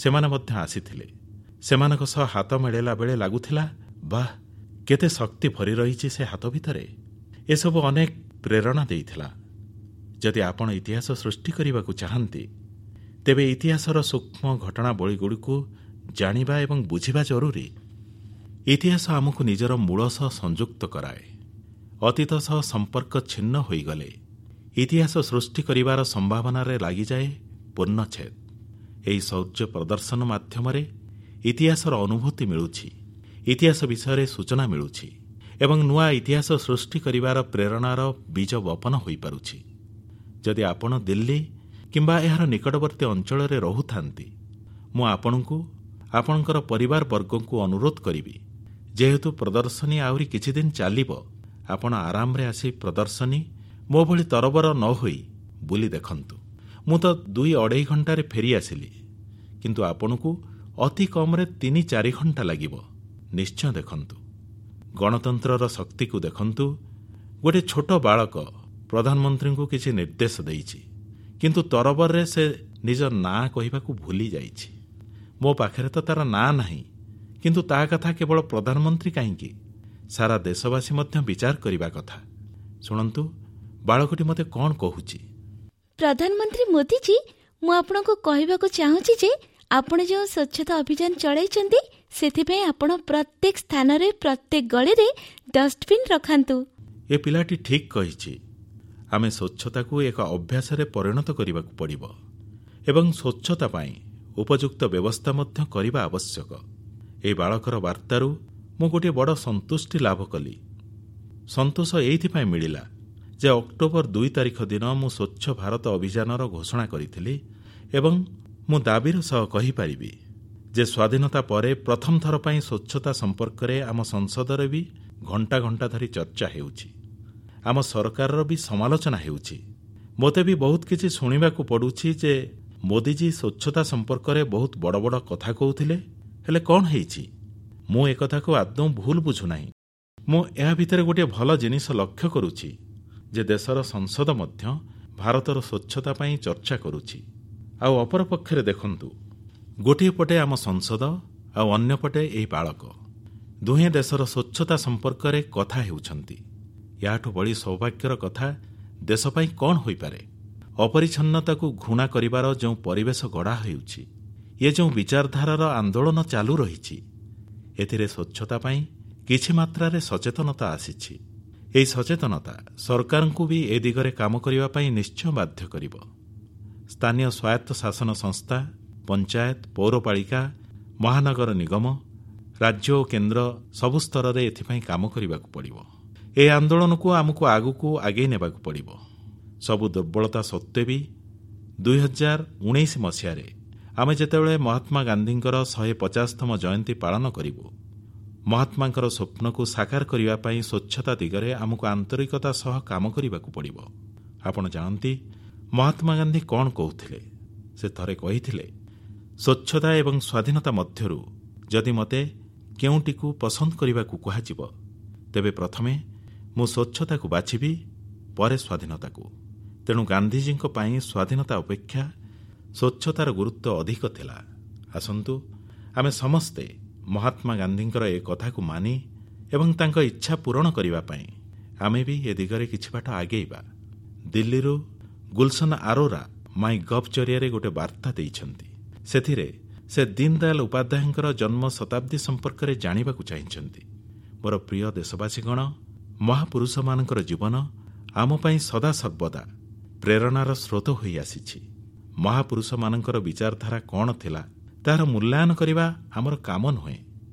[SPEAKER 1] ସେମାନେ ମଧ୍ୟ ଆସିଥିଲେ। ସେମାନଙ୍କ ସହ ହାତ ମିଳାଇଲା ବେଳେ ଲାଗୁଥିଲା, ବାଃ, କେତେ ଶକ୍ତି ଭରି ରହିଛି ସେ ହାତ ଭିତରେ। ଏସବୁ ଅନେକ ପ୍ରେରଣା ଦେଇଥିଲା। ଯଦି ଆପଣ ଇତିହାସ ସୃଷ୍ଟି କରିବାକୁ ଚାହାନ୍ତି, ତେବେ ଇତିହାସର ସୂକ୍ଷ୍ମ ଘଟଣାବଳୀଗୁଡ଼ିକୁ ଜାଣିବା ଏବଂ ବୁଝିବା ଜରୁରୀ। ଇତିହାସ ଆମକୁ ନିଜର ମୂଳ ସହ ସଂଯୁକ୍ତ କରାଏ। ଅତୀତ ସହ ସମ୍ପର୍କ ଛିନ୍ନ ହୋଇଗଲେ ଇତିହାସ ସୃଷ୍ଟି କରିବାର ସମ୍ଭାବନାରେ ଲାଗିଯାଏ ପୂର୍ଣ୍ଣଚ୍ଛେଦ। ଏହି ଶୌର୍ଯ୍ୟ ପ୍ରଦର୍ଶନ ମାଧ୍ୟମରେ ଇତିହାସର ଅନୁଭୂତି ମିଳୁଛି, ଇତିହାସ ବିଷୟରେ ସୂଚନା ମିଳୁଛି ଏବଂ ନୂଆ ଇତିହାସ ସୃଷ୍ଟି କରିବାର ପ୍ରେରଣାର ବୀଜ ବପନ ହୋଇପାରୁଛି। ଯଦି ଆପଣ ଦିଲ୍ଲୀ କିମ୍ବା ଏହାର ନିକଟବର୍ତ୍ତୀ ଅଞ୍ଚଳରେ ରହୁଥାନ୍ତି, ମୁଁ ଆପଣଙ୍କୁ, ଆପଣଙ୍କର ପରିବାର ବର୍ଗଙ୍କୁ ଅନୁରୋଧ କରିବି, ଯେହେତୁ ପ୍ରଦର୍ଶନୀ ଆହୁରି କିଛି ଦିନ ଚାଲିବ, ଆପଣ ଆରାମରେ ଆସି ପ୍ରଦର୍ଶନୀ ମୋ ଭଳି ତରବର ନ ହୋଇ ବୁଲି ଦେଖନ୍ତୁ। ମୁଁ ତ ଦୁଇ ଅଢ଼େଇ ଘଣ୍ଟାରେ ଫେରି ଆସିଲି, କିନ୍ତୁ ଆପଣଙ୍କୁ ଅତି କମ୍ରେ ତିନି ଚାରି ଘଣ୍ଟା ଲାଗିବ। ନିଶ୍ଚୟ ଦେଖନ୍ତୁ, ଗଣତନ୍ତ୍ରର ଶକ୍ତିକୁ ଦେଖନ୍ତୁ। ଗୋଟିଏ ଛୋଟ ବାଳକ ପ୍ରଧାନମନ୍ତ୍ରୀଙ୍କୁ କିଛି ନିର୍ଦ୍ଦେଶ ଦେଇଛି, କିନ୍ତୁ ତରବରରେ ସେ ନିଜ ନାଁ କହିବାକୁ ଭୁଲି ଯାଇଛି। ମୋ ପାଖରେ ତ ତାର ନାଁ ନାହିଁ, କିନ୍ତୁ ତା କଥା କେବଳ ପ୍ରଧାନମନ୍ତ୍ରୀ କାହିଁକି, ସାରା ଦେଶବାସୀ ମଧ୍ୟ ବିଚାର କରିବା କଥା। ଶୁଣନ୍ତୁ ବାଳକଟି ମୋତେ କ'ଣ କହୁଛି।
[SPEAKER 3] ପ୍ରଧାନମନ୍ତ୍ରୀ ମୋଦିଜୀ, ମୁଁ ଆପଣଙ୍କୁ କହିବାକୁ ଚାହୁଁଛି ଯେ ଆପଣ ଯେଉଁ ସ୍ୱଚ୍ଛତା ଅଭିଯାନ ଚଳାଇଛନ୍ତି, ସେଥିପାଇଁ ଆପଣ ପ୍ରତ୍ୟେକ ସ୍ଥାନରେ, ପ୍ରତ୍ୟେକ ଗଳିରେ ଡଷ୍ଟବିନ୍ ରଖାନ୍ତୁ।
[SPEAKER 1] ଏ ପିଲାଟି ଠିକ୍ କହିଛି। ଆମେ ସ୍ୱଚ୍ଛତାକୁ ଏକ ଅଭ୍ୟାସରେ ପରିଣତ କରିବାକୁ ପଡ଼ିବ ଏବଂ ସ୍ୱଚ୍ଛତା ପାଇଁ ଉପଯୁକ୍ତ ବ୍ୟବସ୍ଥା ମଧ୍ୟ କରିବା ଆବଶ୍ୟକ। ଏହି ବାଳକର ବାର୍ତ୍ତାରୁ ମୁଁ ଗୋଟିଏ ବଡ଼ ସନ୍ତୁଷ୍ଟି ଲାଭ କଲି। ସନ୍ତୋଷ ଏଇଥିପାଇଁ ମିଳିଲା ଯେ ଅକ୍ଟୋବର ଦୁଇ ତାରିଖ ଦିନ ମୁଁ ସ୍ୱଚ୍ଛ ଭାରତ ଅଭିଯାନର ଘୋଷଣା କରିଥିଲି ଏବଂ ମୁଁ ଦାବିର ସହ କହିପାରିବି ଯେ ସ୍ୱାଧୀନତା ପରେ ପ୍ରଥମ ଥର ପାଇଁ ସ୍ୱଚ୍ଛତା ସମ୍ପର୍କରେ ଆମ ସଂସଦରେ ବି ଘଣ୍ଟା ଘଣ୍ଟା ଧରି ଚର୍ଚ୍ଚା ହେଉଛି, ଆମ ସରକାରର ବି ସମାଲୋଚନା ହେଉଛି। ମୋତେ ବି ବହୁତ କିଛି ଶୁଣିବାକୁ ପଡ଼ୁଛି ଯେ ମୋଦିଜୀ ସ୍ୱଚ୍ଛତା ସମ୍ପର୍କରେ ବହୁତ ବଡ଼ ବଡ଼ କଥା କହୁଥିଲେ, ହେଲେ କ'ଣ ହେଇଛି? ମୁଁ ଏକଥାକୁ ଆଦୌ ଭୁଲ ବୁଝୁନାହିଁ। ମୁଁ ଏହା ଭିତରେ ଗୋଟିଏ ଭଲ ଜିନିଷ ଲକ୍ଷ୍ୟ କରୁଛି ଯେ ଦେଶର ସଂସଦ ମଧ୍ୟ ଭାରତର ସ୍ୱଚ୍ଛତା ପାଇଁ ଚର୍ଚ୍ଚା କରୁଛି। ଆଉ ଅପରପକ୍ଷରେ ଦେଖନ୍ତୁ, ଗୋଟିଏ ପଟେ ଆମ ସଂସଦ ଆଉ ଅନ୍ୟପଟେ ଏହି ବାଳକ, ଦୁହେଁ ଦେଶର ସ୍ୱଚ୍ଛତା ସମ୍ପର୍କରେ କଥା ହେଉଛନ୍ତି। ଏହାଠୁ ବଳି ସୌଭାଗ୍ୟର କଥା ଦେଶ ପାଇଁ କ'ଣ ହୋଇପାରେ? ଅପରିଚ୍ଛନ୍ନତାକୁ ଘୃଣା କରିବାର ଯେଉଁ ପରିବେଶ ଗଢ଼ା ହେଉଛି, ଏ ଯେଉଁ ବିଚାରଧାରାର ଆନ୍ଦୋଳନ ଚାଲୁ ରହିଛି, ଏଥିରେ ସ୍ୱଚ୍ଛତା ପାଇଁ କିଛି ମାତ୍ରାରେ ସଚେତନତା ଆସିଛି। ଏହି ସଚେତନତା ସରକାରଙ୍କୁ ବି ଏ ଦିଗରେ କାମ କରିବା ପାଇଁ ନିଶ୍ଚୟ ବାଧ୍ୟ କରିବ। ସ୍ଥାନୀୟ ସ୍ୱାୟତ୍ତ ଶାସନ ସଂସ୍ଥା, ପଞ୍ଚାୟତ, ପୌରପାଳିକା, ମହାନଗର ନିଗମ, ରାଜ୍ୟ ଓ କେନ୍ଦ୍ର ସବୁ ସ୍ତରରେ ଏଥିପାଇଁ କାମ କରିବାକୁ ପଡ଼ିବ। ଏହି ଆନ୍ଦୋଳନକୁ ଆମକୁ ଆଗକୁ ଆଗେଇ ନେବାକୁ ପଡ଼ିବ। ସବୁ ଦୁର୍ବଳତା ସତ୍ତ୍ୱେ ବି ଦୁଇ ହଜାର ଉଣେଇଶ ମସିହାରେ ଆମେ ଯେତେବେଳେ ମହାତ୍ମା ଗାନ୍ଧୀଙ୍କର ଶହେ ପଚାଶତମ ଜୟନ୍ତୀ ପାଳନ କରିବୁ, ମହାତ୍ମାଙ୍କର ସ୍ୱପ୍ନକୁ ସାକାର କରିବା ପାଇଁ ସ୍ୱଚ୍ଛତା ଦିଗରେ ଆମକୁ ଆନ୍ତରିକତା ସହ କାମ କରିବାକୁ ପଡ଼ିବ। ଆପଣ ଜାଣନ୍ତି ମହାତ୍ମା ଗାନ୍ଧୀ କଣ କହୁଥିଲେ? ସେ ଥରେ କହିଥିଲେ, ସ୍ୱଚ୍ଛତା ଏବଂ ସ୍ୱାଧୀନତା ମଧ୍ୟରୁ ଯଦି ମୋତେ କେଉଁଟିକୁ ପସନ୍ଦ କରିବାକୁ କୁହାଯିବ, ତେବେ ପ୍ରଥମେ ମୁଁ ସ୍ୱଚ୍ଛତାକୁ ବାଛିବି, ପରେ ସ୍ୱାଧୀନତାକୁ। ତେଣୁ ଗାନ୍ଧିଜୀଙ୍କ ପାଇଁ ସ୍ୱାଧୀନତା ଅପେକ୍ଷା ସ୍ୱଚ୍ଛତାର ଗୁରୁତ୍ୱ ଅଧିକ ଥିଲା। ଆସନ୍ତୁ ଆମେ ସମସ୍ତେ ମହାତ୍ମା ଗାନ୍ଧୀଙ୍କର ଏ କଥାକୁ ମାନି ଏବଂ ତାଙ୍କ ଇଚ୍ଛା ପୂରଣ କରିବା ପାଇଁ ଆମେ ବି ଏ ଦିଗରେ କିଛି ବାଟ ଆଗେଇବା। ଦିଲ୍ଲୀରୁ ଗୁଲସନ ଆରୋରା ମାଇ ଗଭ୍ ଜରିଆରେ ଗୋଟେ ବାର୍ତ୍ତା ଦେଇଛନ୍ତି। ସେଥିରେ ସେ ଦୀନଦୟାଲ ଉପାଧ୍ୟାୟଙ୍କର ଜନ୍ମ ଶତାବ୍ଦୀ ସମ୍ପର୍କରେ ଜାଣିବାକୁ ଚାହିଁଛନ୍ତି। ମୋର ପ୍ରିୟ ଦେଶବାସୀଗଣ, ମହାପୁରୁଷମାନଙ୍କର ଜୀବନ ଆମ ପାଇଁ ସଦାସର୍ବଦା ପ୍ରେରଣାର ସ୍ରୋତ ହୋଇ ଆସିଛି। ମହାପୁରୁଷମାନଙ୍କର ବିଚାରଧାରା କଣ ଥିଲା ତାହାର ମୂଲ୍ୟାୟନ କରିବା ଆମର କାମ ନୁହେଁ।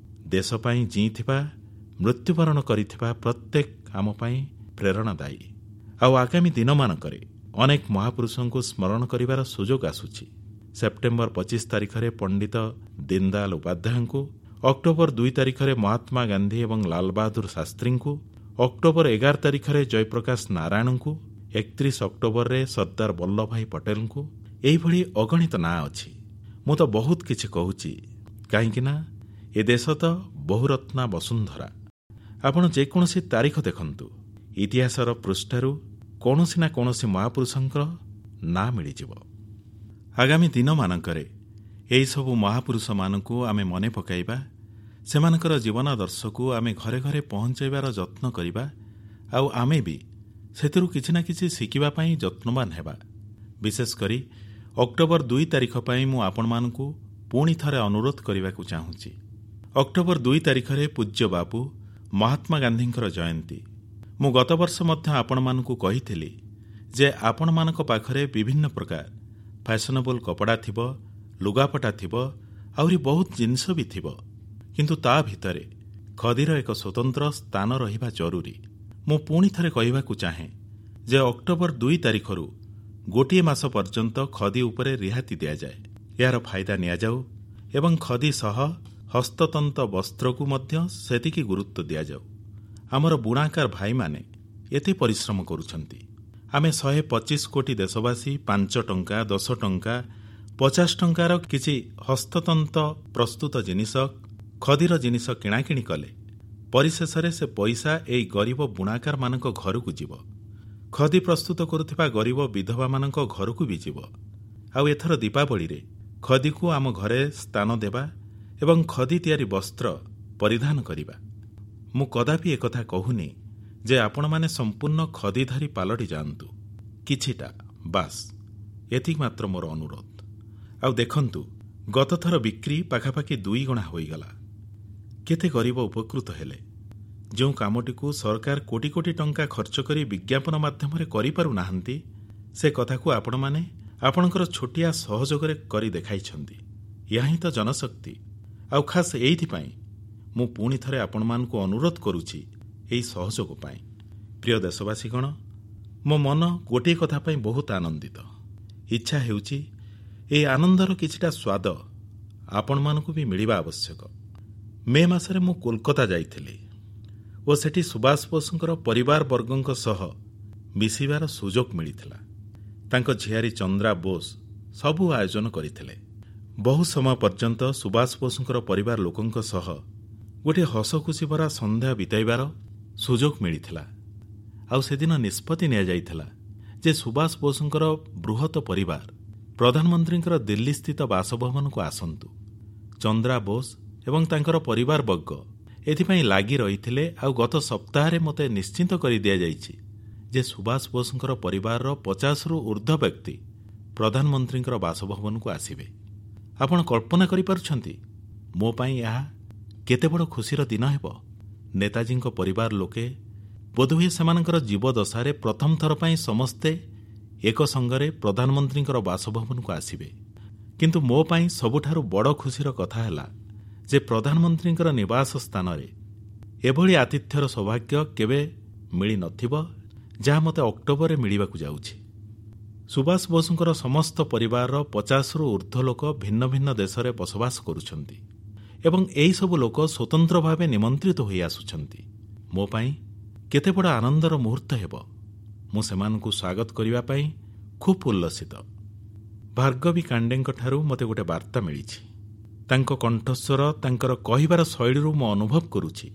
[SPEAKER 1] ଦେଶ ପାଇଁ ଜିଇଁଥିବା, ମୃତ୍ୟୁବରଣ କରିଥିବା ପ୍ରତ୍ୟେକ ଆମ ପାଇଁ ପ୍ରେରଣାଦାୟୀ। ଆଉ ଆଗାମୀ ଦିନମାନଙ୍କରେ ଅନେକ ମହାପୁରୁଷଙ୍କୁ ସ୍ମରଣ କରିବାର ସୁଯୋଗ ଆସୁଛି। ସେପ୍ଟେମ୍ବର ପଚିଶ ତାରିଖରେ ପଣ୍ଡିତ ଦୀନଦୟାଲ ଉପାଧ୍ୟାୟଙ୍କୁ, ଅକ୍ଟୋବର ଦୁଇ ତାରିଖରେ ମହାତ୍ମା ଗାନ୍ଧୀ ଏବଂ ଲାଲବାହାଦୁର ଶାସ୍ତ୍ରୀଙ୍କୁ, ଅକ୍ଟୋବର ଏଗାର ତାରିଖରେ ଜୟପ୍ରକାଶ ନାରାୟଣଙ୍କୁ, ଏକତିରିଶ ଅକ୍ଟୋବରରେ ସର୍ଦ୍ଦାର ବଲ୍ଲଭଭାଇ ପଟେଲଙ୍କୁ, ଏହିଭଳି ଅଗଣିତ ନାଁ ଅଛି। ମୁଁ ତ ବହୁତ କିଛି କହୁଛି, କାହିଁକି ନା ଏ ଦେଶ ତ ବହୁରତ୍ନା ବସୁନ୍ଧରା। ଆପଣ ଯେକୌଣସି ତାରିଖ ଦେଖନ୍ତୁ, ଇତିହାସର ପୃଷ୍ଠାରୁ କୌଣସି ନା କୌଣସି ମହାପୁରୁଷଙ୍କର ନାଁ ମିଳିଯିବ। ଆଗାମୀ ଦିନମାନଙ୍କରେ ଏହିସବୁ ମହାପୁରୁଷମାନଙ୍କୁ ଆମେ ମନେ ପକାଇବା, ସେମାନଙ୍କର ଜୀବନାଦର୍ଶକୁ ଆମେ ଘରେ ଘରେ ପହଞ୍ଚାଇବାର ଯତ୍ନ କରିବା, ଆଉ ଆମେ ବି ସେଥିରୁ କିଛି ନା କିଛି ଶିଖିବା ପାଇଁ ଯତ୍ନବାନ ହେବା। ବିଶେଷ କରି ଅକ୍ଟୋବର ଦୁଇ ତାରିଖ ପାଇଁ ମୁଁ ଆପଣମାନଙ୍କୁ ପୁଣି ଥରେ ଅନୁରୋଧ କରିବାକୁ ଚାହୁଁଛି। ଅକ୍ଟୋବର ଦୁଇ ତାରିଖରେ ପୂଜ୍ୟ ବାପୁ ମହାତ୍ମା ଗାନ୍ଧୀଙ୍କର ଜୟନ୍ତୀ। ମୁଁ ଗତବର୍ଷ ମଧ୍ୟ ଆପଣମାନଙ୍କୁ କହିଥିଲି ଯେ ଆପଣମାନଙ୍କ ପାଖରେ ବିଭିନ୍ନ ପ୍ରକାର ଫ୍ୟାସନେବଲ୍ କପଡ଼ା ଥିବ, ଲୁଗାପଟା ଥିବ, ଆହୁରି ବହୁତ ଜିନିଷ ବି ଥିବ, କିନ୍ତୁ ତା ଭିତରେ ଖଦିର ଏକ ସ୍ୱତନ୍ତ୍ର ସ୍ଥାନ ରହିବା ଜରୁରୀ। ମୁଁ ପୁଣି ଥରେ କହିବାକୁ ଚାହେଁ ଯେ ଅକ୍ଟୋବର ଦୁଇ ତାରିଖରୁ ଗୋଟିଏ ମାସ ପର୍ଯ୍ୟନ୍ତ ଖଦି ଉପରେ ରିହାତି ଦିଆଯାଏ। ଏହାର ଫାଇଦା ନିଆଯାଉ ଏବଂ ଖଦି ସହ ହସ୍ତତନ୍ତ ବସ୍ତ୍ରକୁ ମଧ୍ୟ ସେତିକି ଗୁରୁତ୍ୱ ଦିଆଯାଉ। ଆମର ବୁଣାକାର ଭାଇମାନେ ଏତେ ପରିଶ୍ରମ କରୁଛନ୍ତି। ଆମେ ଶହେ ପଚିଶ କୋଟି ଦେଶବାସୀ ପାଞ୍ଚ ଟଙ୍କା, ଦଶ ଟଙ୍କା, ପଚାଶ ଟଙ୍କାର କିଛି ହସ୍ତତନ୍ତ ପ୍ରସ୍ତୁତ ଜିନିଷ, ଖଦିର ଜିନିଷ କିଣାକିଣି କଲେ ପରିଶେଷରେ ସେ ପଇସା ଏଇ ଗରିବ ବୁଣାକାରମାନଙ୍କ ଘରକୁ ଯିବ, ଖଦି ପ୍ରସ୍ତୁତ କରୁଥିବା ଗରିବ ବିଧବାମାନଙ୍କ ଘରକୁ ବି ଯିବ। ଆଉ ଏଥର ଦୀପାବଳିରେ ଖଦିକୁ ଆମ ଘରେ ସ୍ଥାନ ଦେବା ଏବଂ ଖଦି ତିଆରି ବସ୍ତ୍ର ପରିଧାନ କରିବା। ମୁଁ କଦାପି ଏକଥା କହୁନି ଯେ ଆପଣମାନେ ସମ୍ପୂର୍ଣ୍ଣ ଖଦିଧାରୀ ପାଲଟି ଯାଆନ୍ତୁ, କିଛିଟା ବାସ୍, ଏତିକି ମାତ୍ର ମୋର ଅନୁରୋଧ। ଆଉ ଦେଖନ୍ତୁ, ଗତଥର ବିକ୍ରି ପାଖାପାଖି ଦୁଇ ଗୁଣା ହୋଇଗଲା। କେତେ ଗରିବ ଉପକୃତ ହେଲେ। ଯେଉଁ କାମଟିକୁ ସରକାର କୋଟି କୋଟି ଟଙ୍କା ଖର୍ଚ୍ଚ କରି ବିଜ୍ଞାପନ ମାଧ୍ୟମରେ କରିପାରୁନାହାନ୍ତି, ସେ କଥାକୁ ଆପଣମାନେ ଆପଣଙ୍କର ଛୋଟିଆ ସହଯୋଗରେ କରି ଦେଖାଇଛନ୍ତି। ଏହା ହିଁ ତ ଜନଶକ୍ତି। ଆଉ ଖାସ୍ ଏଇଥିପାଇଁ ମୁଁ ପୁଣି ଥରେ ଆପଣମାନଙ୍କୁ ଅନୁରୋଧ କରୁଛି ଏହି ସହଯୋଗ ପାଇଁ। ପ୍ରିୟ ଦେଶବାସୀଗଣ, ମୋ ମନ ଗୋଟିଏ କଥା ପାଇଁ ବହୁତ ଆନନ୍ଦିତ। ଇଚ୍ଛା ହେଉଛି ଏହି ଆନନ୍ଦର କିଛିଟା ସ୍ୱାଦ ଆପଣମାନଙ୍କୁ ବି ମିଳିବା ଆବଶ୍ୟକ। ମେ ମାସରେ ମୁଁ କୋଲକାତା ଯାଇଥିଲି ଓ ସେଠି ସୁଭାଷ ବୋଷଙ୍କର ପରିବାର ବର୍ଗଙ୍କ ସହ ମିଶିବାର ସୁଯୋଗ ମିଳିଥିଲା। ତାଙ୍କ ଝିଆରୀ ଚନ୍ଦ୍ରା ବୋଷ ସବୁ ଆୟୋଜନ କରିଥିଲେ। ବହୁ ସମୟ ପର୍ଯ୍ୟନ୍ତ ସୁଭାଷ ବୋଷଙ୍କର ପରିବାର ଲୋକଙ୍କ ସହ ଗୋଟିଏ ହସଖୁସି ଭରା ସନ୍ଧ୍ୟା ବିତାଇବାର ସୁଯୋଗ ମିଳିଥିଲା। ଆଉ ସେଦିନ ନିଷ୍ପତ୍ତି ନିଆଯାଇଥିଲା ଯେ ସୁଭାଷ ବୋଷଙ୍କର ବୃହତ ପରିବାର ପ୍ରଧାନମନ୍ତ୍ରୀଙ୍କର ଦିଲ୍ଲୀସ୍ଥିତ ବାସଭବନକୁ ଆସନ୍ତୁ। ଚନ୍ଦ୍ରା ବୋଷ ଏବଂ ତାଙ୍କର ପରିବାରବର୍ଗ ଏଥିପାଇଁ ଲାଗି ରହିଥିଲେ। ଆଉ ଗତ ସପ୍ତାହରେ ମୋତେ ନିଶ୍ଚିନ୍ତ କରି ଦିଆଯାଇଛି ଯେ ସୁଭାଷ ବୋଷଙ୍କର ପରିବାରର ପଚାଶରୁ ଉର୍ଦ୍ଧ୍ୱ ବ୍ୟକ୍ତି ପ୍ରଧାନମନ୍ତ୍ରୀଙ୍କର ବାସଭବନକୁ ଆସିବେ। ଆପଣ କଳ୍ପନା କରିପାରୁଛନ୍ତି ମୋ ପାଇଁ ଏହା କେତେ ବଡ଼ ଖୁସିର ଦିନ ହେବ। ନେତାଜୀଙ୍କ ପରିବାର ଲୋକେ ବୋଧହୁଏ ସେମାନଙ୍କର ଜୀବଦଶାରେ ପ୍ରଥମ ଥର ପାଇଁ ସମସ୍ତେ ଏକ ସଙ୍ଗରେ ପ୍ରଧାନମନ୍ତ୍ରୀଙ୍କର ବାସଭବନକୁ ଆସିବେ। କିନ୍ତୁ ମୋ ପାଇଁ ସବୁଠାରୁ ବଡ଼ ଖୁସିର କଥା ହେଲା ଯେ ପ୍ରଧାନମନ୍ତ୍ରୀଙ୍କର ନିବାସ ସ୍ଥାନରେ ଏଭଳି ଆତିଥ୍ୟର ସୌଭାଗ୍ୟ କେବେ ମିଳିନଥିବ, ଯାହା ମୋତେ ଅକ୍ଟୋବରରେ ମିଳିବାକୁ ଯାଉଛି। ସୁଭାଷ ବୋଷଙ୍କର ସମସ୍ତ ପରିବାରର ପଚାଶରୁ ଉର୍ଦ୍ଧ୍ୱ ଲୋକ ଭିନ୍ନ ଭିନ୍ନ ଦେଶରେ ବସବାସ କରୁଛନ୍ତି ଏବଂ ଏହିସବୁ ଲୋକ ସ୍ୱତନ୍ତ୍ର ଭାବେ ନିମନ୍ତ୍ରିତ ହୋଇ ଆସୁଛନ୍ତି। ମୋ ପାଇଁ କେତେ ବଡ଼ ଆନନ୍ଦର ମୁହୂର୍ତ୍ତ ହେବ। ମୁଁ ସେମାନଙ୍କୁ ସ୍ୱାଗତ କରିବା ପାଇଁ ଖୁବ୍ ଉଲ୍ଲସିତ। ଭାର୍ଗବୀ କାଣ୍ଡେଙ୍କଠାରୁ ମୋତେ ଗୋଟେ ବାର୍ତ୍ତା ମିଳିଛି। ତାଙ୍କ କଣ୍ଠସ୍ୱର, ତାଙ୍କର କହିବାର ଶୈଳୀରୁ ମୁଁ ଅନୁଭବ କରୁଛି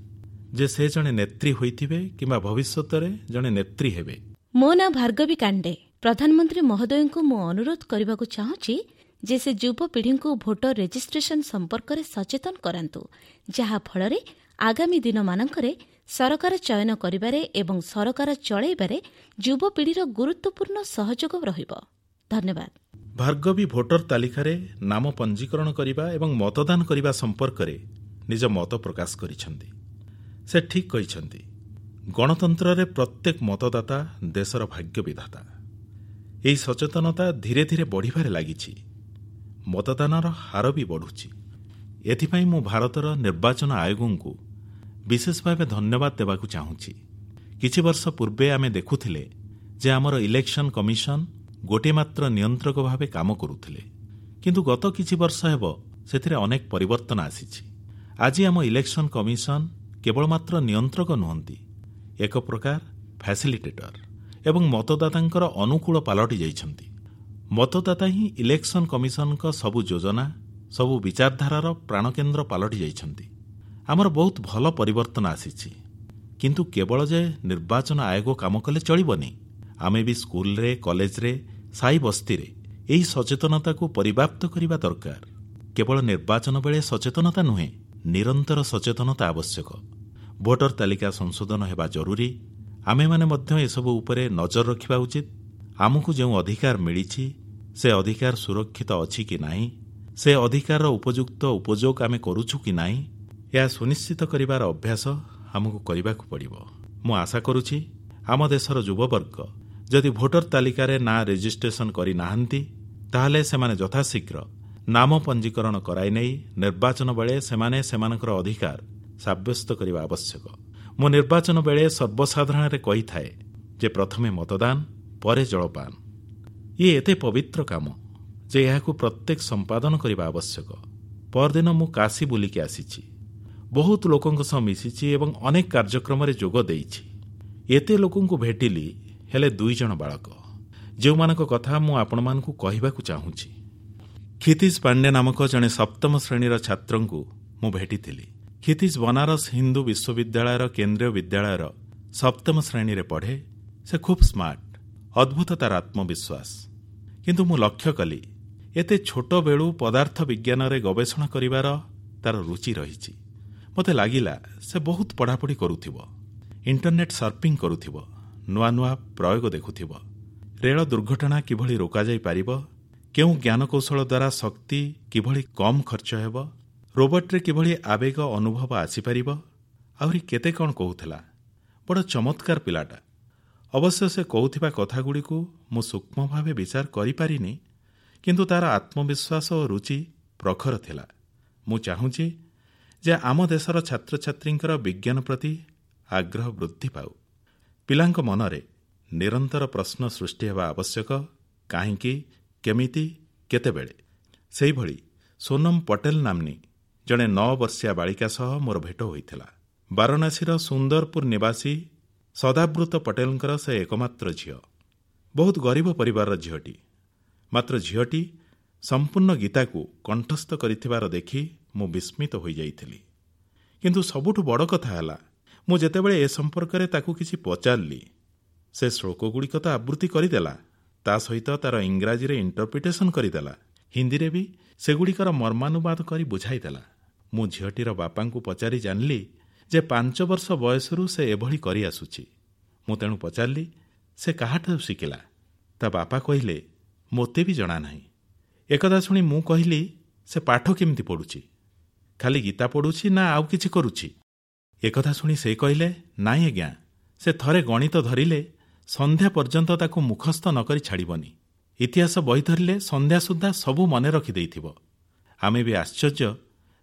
[SPEAKER 1] ଯେ ସେ ଜଣେ ନେତ୍ରୀ ହୋଇଥିବେ କିମ୍ବା ଭବିଷ୍ୟତରେ ଜଣେ ନେତ୍ରୀ ହେବେ।
[SPEAKER 3] ମୋ ନାଁ ଭାର୍ଗବୀ କାଣ୍ଡେ। ପ୍ରଧାନମନ୍ତ୍ରୀ ମହୋଦୟଙ୍କୁ ମୁଁ ଅନୁରୋଧ କରିବାକୁ ଚାହୁଁଛି ଯେ ସେ ଯୁବପିଢ଼ିଙ୍କୁ ଭୋଟର ରେଜିଷ୍ଟ୍ରେସନ ସମ୍ପର୍କରେ ସଚେତନ କରାନ୍ତୁ, ଯାହାଫଳରେ ଆଗାମୀ ଦିନମାନଙ୍କରେ ସରକାର ଚୟନ କରିବାରେ ଏବଂ ସରକାର ଚଳାଇବାରେ ଯୁବପିଢ଼ିର ଗୁରୁତ୍ୱପୂର୍ଣ୍ଣ ସହଯୋଗ ରହିବ। ଧନ୍ୟବାଦ।
[SPEAKER 1] ଭାର୍ଗବୀ ଭୋଟର ତାଲିକାରେ ନାମ ପଞ୍ଜୀକରଣ କରିବା ଏବଂ ମତଦାନ କରିବା ସମ୍ପର୍କରେ ନିଜ ମତ ପ୍ରକାଶ କରିଛନ୍ତି। ସେ ଠିକ୍ କହିଛନ୍ତି, ଗଣତନ୍ତ୍ରରେ ପ୍ରତ୍ୟେକ ମତଦାତା ଦେଶର ଭାଗ୍ୟ ବିଧାତା। ଏହି ସଚେତନତା ଧୀରେ ଧୀରେ ବଢ଼ିବାରେ ଲାଗିଛି। ମତଦାନର ହାର ବି ବଢ଼ୁଛି। ଏଥିପାଇଁ ମୁଁ ଭାରତର ନିର୍ବାଚନ ଆୟୋଗଙ୍କୁ ବିଶେଷ ଭାବେ ଧନ୍ୟବାଦ ଦେବାକୁ ଚାହୁଁଛି। କିଛି ବର୍ଷ ପୂର୍ବେ ଆମେ ଦେଖୁଥିଲେ ଯେ ଆମର ଇଲେକ୍ସନ କମିଶନ ଗୋଟିଏ ମାତ୍ର ନିୟନ୍ତ୍ରକ ଭାବେ କାମ କରୁଥିଲେ, କିନ୍ତୁ ଗତ କିଛି ବର୍ଷ ହେବ ସେଥିରେ ଅନେକ ପରିବର୍ତ୍ତନ ଆସିଛି। ଆଜି ଆମ ଇଲେକ୍ସନ କମିଶନ କେବଳ ମାତ୍ର ନିୟନ୍ତ୍ରକ ନୁହନ୍ତି, ଏକ ପ୍ରକାର ଫ୍ୟାସିଲିଟେଟର ଏବଂ ମତଦାତାଙ୍କର ଅନୁକୂଳ ପାଲଟି ଯାଇଛନ୍ତି। ମତଦାତା ହିଁ ଇଲେକ୍ସନ କମିଶନଙ୍କ ସବୁ ଯୋଜନା, ସବୁ ବିଚାରଧାରାର ପ୍ରାଣକେନ୍ଦ୍ର ପାଲଟି ଯାଇଛନ୍ତି। ଆମର ବହୁତ ଭଲ ପରିବର୍ତ୍ତନ ଆସିଛି, କିନ୍ତୁ କେବଳ ଯେ ନିର୍ବାଚନ ଆୟୋଗ କାମ କଲେ ଚଳିବନି। ଆମେ ବି ସ୍କୁଲରେ, କଲେଜରେ, ସାହି ବସ୍ତିରେ ଏହି ସଚେତନତାକୁ ପରିବ୍ୟାପ୍ତ କରିବା ଦରକାର। କେବଳ ନିର୍ବାଚନ ବେଳେ ସଚେତନତା ନୁହେଁ, ନିରନ୍ତର ସଚେତନତା ଆବଶ୍ୟକ। ଭୋଟର ତାଲିକା ସଂଶୋଧନ ହେବା ଜରୁରୀ। ଆମେମାନେ ମଧ୍ୟ ଏସବୁ ଉପରେ ନଜର ରଖିବା ଉଚିତ। ଆମକୁ ଯେଉଁ ଅଧିକାର ମିଳିଛି ସେ ଅଧିକାର ସୁରକ୍ଷିତ ଅଛି କି ନାହିଁ, ସେ ଅଧିକାରର ଉପଯୁକ୍ତ ଉପଯୋଗ ଆମେ କରୁଛୁ କି ନାହିଁ, ଏହା ସୁନିଶ୍ଚିତ କରିବାର ଅଭ୍ୟାସ ଆମକୁ କରିବାକୁ ପଡ଼ିବ। ମୁଁ ଆଶା କରୁଛି ଆମ ଦେଶର ଯୁବବର୍ଗ ଯଦି ଭୋଟର ତାଲିକାରେ ନାଁ ରେଜିଷ୍ଟ୍ରେସନ କରିନାହାନ୍ତି, ତାହେଲେ ସେମାନେ ଯଥାଶୀଘ୍ର ନାମ ପଞ୍ଜୀକରଣ କରାଇ ନେଇ ନିର୍ବାଚନ ବେଳେ ସେମାନେ ସେମାନଙ୍କର ଅଧିକାର ସାବ୍ୟସ୍ତ କରିବା ଆବଶ୍ୟକ। ମୁଁ ନିର୍ବାଚନ ବେଳେ ସର୍ବସାଧାରଣରେ କହିଥାଏ ଯେ ପ୍ରଥମେ ମତଦାନ, ପରେ ଜଳପାନ। ଇଏ ଏତେ ପବିତ୍ର କାମ ଯେ ଏହାକୁ ପ୍ରତ୍ୟେକ ସମ୍ପାଦନ କରିବା ଆବଶ୍ୟକ। ପରଦିନ ମୁଁ କାଶୀ ବୁଲିକି ଆସିଛି, ବହୁତ ଲୋକଙ୍କ ସହ ମିଶିଛି ଏବଂ ଅନେକ କାର୍ଯ୍ୟକ୍ରମରେ ଯୋଗ ଦେଇଛି। ଏତେ ଲୋକଙ୍କୁ ଭେଟିଲି, ହେଲେ ଦୁଇ ଜଣ ବାଳକ ଯେଉଁମାନଙ୍କ କଥା ମୁଁ ଆପଣମାନଙ୍କୁ କହିବାକୁ ଚାହୁଁଛି। କ୍ଷିତିଜ ପାଣ୍ଡେ ନାମକ ଜଣେ ସପ୍ତମ ଶ୍ରେଣୀର ଛାତ୍ରଙ୍କୁ ମୁଁ ଭେଟିଥିଲି। କ୍ଷିତିଜ ବନାରସ ହିନ୍ଦୁ ବିଶ୍ୱବିଦ୍ୟାଳୟର କେନ୍ଦ୍ରୀୟ ବିଦ୍ୟାଳୟର ସପ୍ତମ ଶ୍ରେଣୀରେ ପଢ଼େ। ସେ ଖୁବ୍ ସ୍ମାର୍ଟ, ଅଦ୍ଭୁତ ତାର ଆତ୍ମବିଶ୍ୱାସ। କିନ୍ତୁ ମୁଁ ଲକ୍ଷ୍ୟ କଲି ଏତେ ଛୋଟ ବେଳୁ ପଦାର୍ଥ ବିଜ୍ଞାନରେ ଗବେଷଣା କରିବାର ତାର ରୁଚି ରହିଛି। ମୋତେ ଲାଗିଲା ସେ ବହୁତ ପଢ଼ାପଢ଼ି କରୁଥିବ, ଇଣ୍ଟରନେଟ୍ ସର୍ଫିଂ କରୁଥିବ, ନୂଆ ନୂଆ ପ୍ରୟୋଗ ଦେଖୁଥିବ, ରେଳ ଦୁର୍ଘଟଣା କିଭଳି ରୋକାଯାଇପାରିବ, କେଉଁ ଜ୍ଞାନକୌଶଳ ଦ୍ୱାରା ଶକ୍ତି କିଭଳି କମ୍ ଖର୍ଚ୍ଚ ହେବ, ରୋବୋଟ୍ରେ କିଭଳି ଆବେଗ ଅନୁଭବ ଆସିପାରିବ, ଆହୁରି କେତେ କ'ଣ କହୁଥିଲା। ବଡ଼ ଚମତ୍କାର ପିଲାଟା। ଅବଶ୍ୟ ସେ କହୁଥିବା କଥାଗୁଡ଼ିକୁ ମୁଁ ସୂକ୍ଷ୍ମ ଭାବେ ବିଚାର କରିପାରିନି, କିନ୍ତୁ ତାର ଆତ୍ମବିଶ୍ୱାସ ଓ ରୁଚି ପ୍ରଖର ଥିଲା। ମୁଁ ଚାହୁଁଛି ଯେ ଆମ ଦେଶର ଛାତ୍ରଛାତ୍ରୀଙ୍କର ବିଜ୍ଞାନ ପ୍ରତି ଆଗ୍ରହ ବୃଦ୍ଧି ପାଉ। ପିଲାଙ୍କ ମନରେ ନିରନ୍ତର ପ୍ରଶ୍ନ ସୃଷ୍ଟି ହେବା ଆବଶ୍ୟକ, କାହିଁକି, କେମିତି, କେତେବେଳେ। ସେହିଭଳି ସୋନମ ପଟେଲ ନାମ୍ନୀ ଜଣେ ନଅ ବର୍ଷିଆ ବାଳିକା ସହ ମୋର ଭେଟ ହୋଇଥିଲା। ବାରାଣସୀର ସୁନ୍ଦରପୁର ନିବାସୀ ସଦାବୃତ ପଟେଲଙ୍କର ସେ ଏକମାତ୍ର ଝିଅ। ବହୁତ ଗରିବ ପରିବାରର ଝିଅଟି। ମାତ୍ର ଝିଅଟି ସମ୍ପୂର୍ଣ୍ଣ ଗୀତାକୁ କଣ୍ଠସ୍ଥ କରିଥିବାର ଦେଖି ମୁଁ ବିସ୍ମିତ ହୋଇଯାଇଥିଲି। କିନ୍ତୁ ସବୁଠୁ ବଡ଼ କଥା ହେଲା, ମୁଁ ଯେତେବେଳେ ଏ ସମ୍ପର୍କରେ ତାକୁ କିଛି ପଚାରିଲି, ସେ ଶ୍ଳୋକଗୁଡ଼ିକ ତ ଆବୃତ୍ତି କରିଦେଲା, ତା ସହିତ ତାର ଇଂରାଜୀରେ ଇଣ୍ଟରପ୍ରିଟେସନ୍ କରିଦେଲା, ହିନ୍ଦୀରେ ବି ସେଗୁଡ଼ିକର ମର୍ମାନୁବାଦ କରି ବୁଝାଇଦେଲା। ମୁଁ ଝିଅଟିର ବାପାଙ୍କୁ ପଚାରି ଜାଣିଲି ଯେ ପାଞ୍ଚ ବର୍ଷ ବୟସରୁ ସେ ଏଭଳି କରିଆସୁଛି। ମୁଁ ତେଣୁ ପଚାରିଲି ସେ କାହାଠାରୁ ଶିଖିଲା। ତା ବାପା କହିଲେ, ମୋତେ ବି ଜଣା ନାହିଁ। ଏକଥା ଶୁଣି ମୁଁ କହିଲି, ସେ ପାଠ କେମିତି ପଢ଼ୁଛି? ଖାଲି ଗୀତା ପଢ଼ୁଛି ନା ଆଉ କିଛି କରୁଛି? ଏକଥା ଶୁଣି ସେ କହିଲେ, ନାଇଁ ଆଜ୍ଞା, ସେ ଥରେ ଗଣିତ ଧରିଲେ ସନ୍ଧ୍ୟା ପର୍ଯ୍ୟନ୍ତ ତାକୁ ମୁଖସ୍ଥ ନ କରି ଛାଡ଼ିବନି। ଇତିହାସ ବହି ଧରିଲେ ସନ୍ଧ୍ୟା ସୁଦ୍ଧା ସବୁ ମନେ ରଖିଦେଇଥିବ। ଆମେ ବି ଆଶ୍ଚର୍ଯ୍ୟ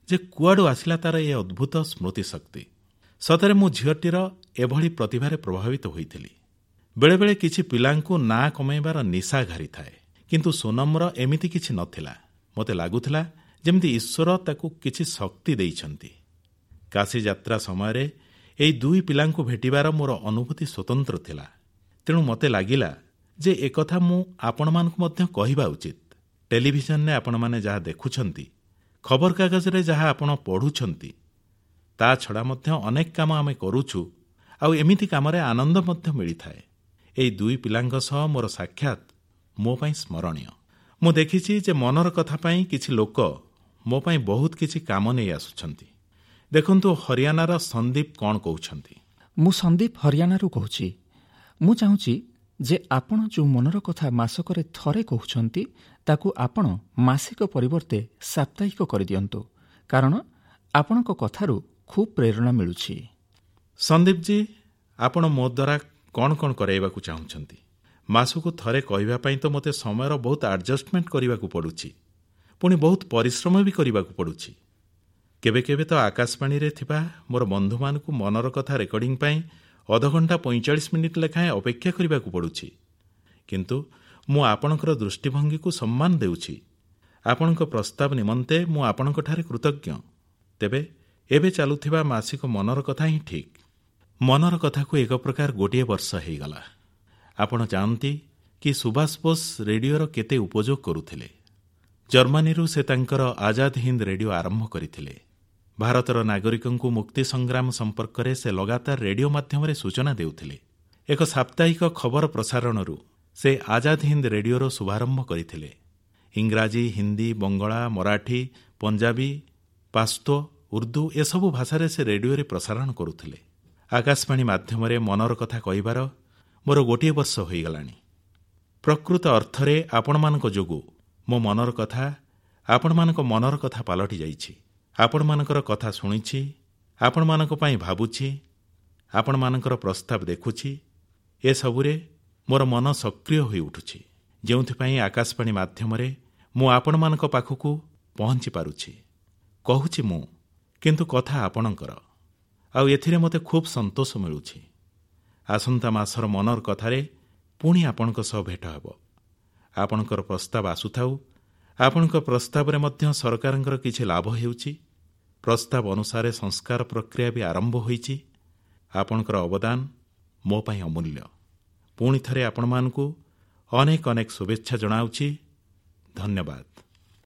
[SPEAKER 1] ଯେ କୁଆଡ଼ୁ ଆସିଲା ତାର ଏ ଅଦ୍ଭୁତ ସ୍ମୃତିଶକ୍ତି। ସତରେ ମୁଁ ଝିଅଟିର ଏଭଳି ପ୍ରତିଭାରେ ପ୍ରଭାବିତ ହୋଇଥିଲି। ବେଳେବେଳେ କିଛି ପିଲାଙ୍କୁ ନାଁ କମାଇବାର ନିଶା ଘାରିଥାଏ, କିନ୍ତୁ ସୋନମର ଏମିତି କିଛି ନଥିଲା। ମୋତେ ଲାଗୁଥିଲା ଯେମିତି ଈଶ୍ୱର ତାକୁ କିଛି ଶକ୍ତି ଦେଇଛନ୍ତି। କାଶୀ ଯାତ୍ରା ସମୟରେ ଏହି ଦୁଇ ପିଲାଙ୍କୁ ଭେଟିବାର ମୋର ଅନୁଭୂତି ସ୍ୱତନ୍ତ୍ର ଥିଲା। ତେଣୁ ମୋତେ ଲାଗିଲା ଯେ ଏକଥା ମୁଁ ଆପଣମାନଙ୍କୁ ମଧ୍ୟ କହିବା ଉଚିତ। ଟେଲିଭିଜନରେ ଆପଣମାନେ ଯାହା ଦେଖୁଛନ୍ତି, ଖବରକାଗଜରେ ଯାହା ଆପଣ ପଢ଼ୁଛନ୍ତି, ତା ଛଡ଼ା ମଧ୍ୟ ଅନେକ କାମ ଆମେ କରୁଛୁ ଆଉ ଏମିତି କାମରେ ଆନନ୍ଦ ମଧ୍ୟ ମିଳିଥାଏ। ଏହି ଦୁଇ ପିଲାଙ୍କ ସହ ମୋର ସାକ୍ଷାତ ମୋ ପାଇଁ ସ୍ମରଣୀୟ। ମୁଁ ଦେଖିଛି ଯେ ମନର କଥା ପାଇଁ କିଛି ଲୋକ ମୋ ପାଇଁ ବହୁତ କିଛି କାମ ନେଇ ଆସୁଛନ୍ତି। ଦେଖନ୍ତୁ ହରିୟାଣାର ସନ୍ଦୀପ କଣ କହୁଛନ୍ତି।
[SPEAKER 2] ମୁଁ ସନ୍ଦୀପ ହରିୟାଣାରୁ କହୁଛି। ମୁଁ ଚାହୁଁଛି ଯେ ଆପଣ ଯେଉଁ ମନର କଥା ମାସକରେ ଥରେ କହୁଛନ୍ତି, ତାକୁ ଆପଣ ମାସିକ ପରିବର୍ତ୍ତେ ସାପ୍ତାହିକ କରିଦିଅନ୍ତୁ, କାରଣ ଆପଣଙ୍କ କଥାରୁ ଖୁବ୍ ପ୍ରେରଣା ମିଳୁଛି।
[SPEAKER 1] ସନ୍ଦୀପ ଜୀ, ଆପଣ ମୋ ଦ୍ୱାରା କଣ କଣ କରାଇବାକୁ ଚାହୁଁଛନ୍ତି? ମାସକୁ ଥରେ କହିବା ପାଇଁ ତ ମୋତେ ସମୟର ବହୁତ ଆଡଜଷ୍ଟମେଣ୍ଟ କରିବାକୁ ପଡ଼ୁଛି, ପୁଣି ବହୁତ ପରିଶ୍ରମ ବି କରିବାକୁ ପଡ଼ୁଛି। କେବେ କେବେ ତ ଆକାଶବାଣୀରେ ଥିବା ମୋର ବନ୍ଧୁମାନଙ୍କୁ ମନର କଥା ରେକର୍ଡିଂ ପାଇଁ ଅଧଘଣ୍ଟା ପଇଁଚାଳିଶ ମିନିଟ୍ ଲେଖାଏଁ ଅପେକ୍ଷା କରିବାକୁ ପଡ଼ୁଛି। କିନ୍ତୁ ମୁଁ ଆପଣଙ୍କର ଦୃଷ୍ଟିଭଙ୍ଗୀକୁ ସମ୍ମାନ ଦେଉଛି। ଆପଣଙ୍କ ପ୍ରସ୍ତାବ ନିମନ୍ତେ ମୁଁ ଆପଣଙ୍କଠାରେ କୃତଜ୍ଞ। ତେବେ ଏବେ ଚାଲୁଥିବା ମାସିକ ମନର କଥା ହିଁ ଠିକ୍। ମନର କଥାକୁ ଏକ ପ୍ରକାର ଗୋଟିଏ ବର୍ଷ ହେଇଗଲା। ଆପଣ ଜାଣନ୍ତି କି ସୁଭାଷ ବୋଷ ରେଡିଓର କେତେ ଉପଯୋଗ କରୁଥିଲେ। ଜର୍ମାନୀରୁ ସେ ତାଙ୍କର ଆଜାଦ ହିନ୍ଦ ରେଡିଓ ଆରମ୍ଭ କରିଥିଲେ। ଭାରତର ନାଗରିକଙ୍କୁ ମୁକ୍ତି ସଂଗ୍ରାମ ସମ୍ପର୍କରେ ସେ ଲଗାତାର ରେଡିଓ ମାଧ୍ୟମରେ ସୂଚନା ଦେଉଥିଲେ। ଏକ ସାପ୍ତାହିକ ଖବର ପ୍ରସାରଣରୁ ସେ ଆଜାଦ ହିନ୍ଦ ରେଡିଓର ଶୁଭାରମ୍ଭ କରିଥିଲେ। ଇଂରାଜୀ, ହିନ୍ଦୀ, ବଙ୍ଗଳା, ମରାଠୀ, ପଞ୍ଜାବୀ, ପାସ୍ତୋ, ଉର୍ଦ୍ଦୁ ଏସବୁ ଭାଷାରେ ସେ ରେଡିଓରେ ପ୍ରସାରଣ କରୁଥିଲେ। ଆକାଶବାଣୀ ମାଧ୍ୟମରେ ମନର କଥା କହିବାର ମୋର ଗୋଟିଏ ବର୍ଷ ହୋଇଗଲାଣି। ପ୍ରକୃତ ଅର୍ଥରେ ଆପଣମାନଙ୍କ ଯୋଗୁଁ ମୋ ମନର କଥା ଆପଣମାନଙ୍କ ମନର କଥା ପାଲଟି ଯାଇଛି। ଆପଣମାନଙ୍କର କଥା ଶୁଣିଛି, ଆପଣମାନଙ୍କ ପାଇଁ ଭାବୁଛି, ଆପଣମାନଙ୍କର ପ୍ରସ୍ତାବ ଦେଖୁଛି। ଏସବୁରେ ମୋର ମନ ସକ୍ରିୟ ହୋଇ ଉଠୁଛି, ଯେଉଁଥିପାଇଁ ଆକାଶବାଣୀ ମାଧ୍ୟମରେ ମୁଁ ଆପଣମାନଙ୍କ ପାଖକୁ ପହଞ୍ଚି ପାରୁଛି। କହୁଛି ମୁଁ, କିନ୍ତୁ କଥା ଆପଣଙ୍କର, ଆଉ ଏଥିରେ ମୋତେ ଖୁବ୍ ସନ୍ତୋଷ ମିଳୁଛି। ଆସନ୍ତା ମାସର ମନର କଥାରେ ପୁଣି ଆପଣଙ୍କ ସହ ଭେଟ ହେବ। ଆପଣଙ୍କର ପ୍ରସ୍ତାବ ଆସୁଥାଉ। ଆପଣଙ୍କ ପ୍ରସ୍ତାବରେ ମଧ୍ୟ ସରକାରଙ୍କର କିଛି ଲାଭ ହେଉଛି। ପ୍ରସ୍ତାବ ଅନୁସାରେ ସଂସ୍କାର ପ୍ରକ୍ରିୟା ବି ଆରମ୍ଭ ହୋଇଛି। ଆପଣଙ୍କର ଅବଦାନ ମୋ ପାଇଁ ଅମୂଲ୍ୟ। ପୁଣି ଥରେ ଆପଣମାନଙ୍କୁ ଅନେକ ଅନେକ ଶୁଭେଚ୍ଛା ଜଣାଉଛି। ଧନ୍ୟବାଦ।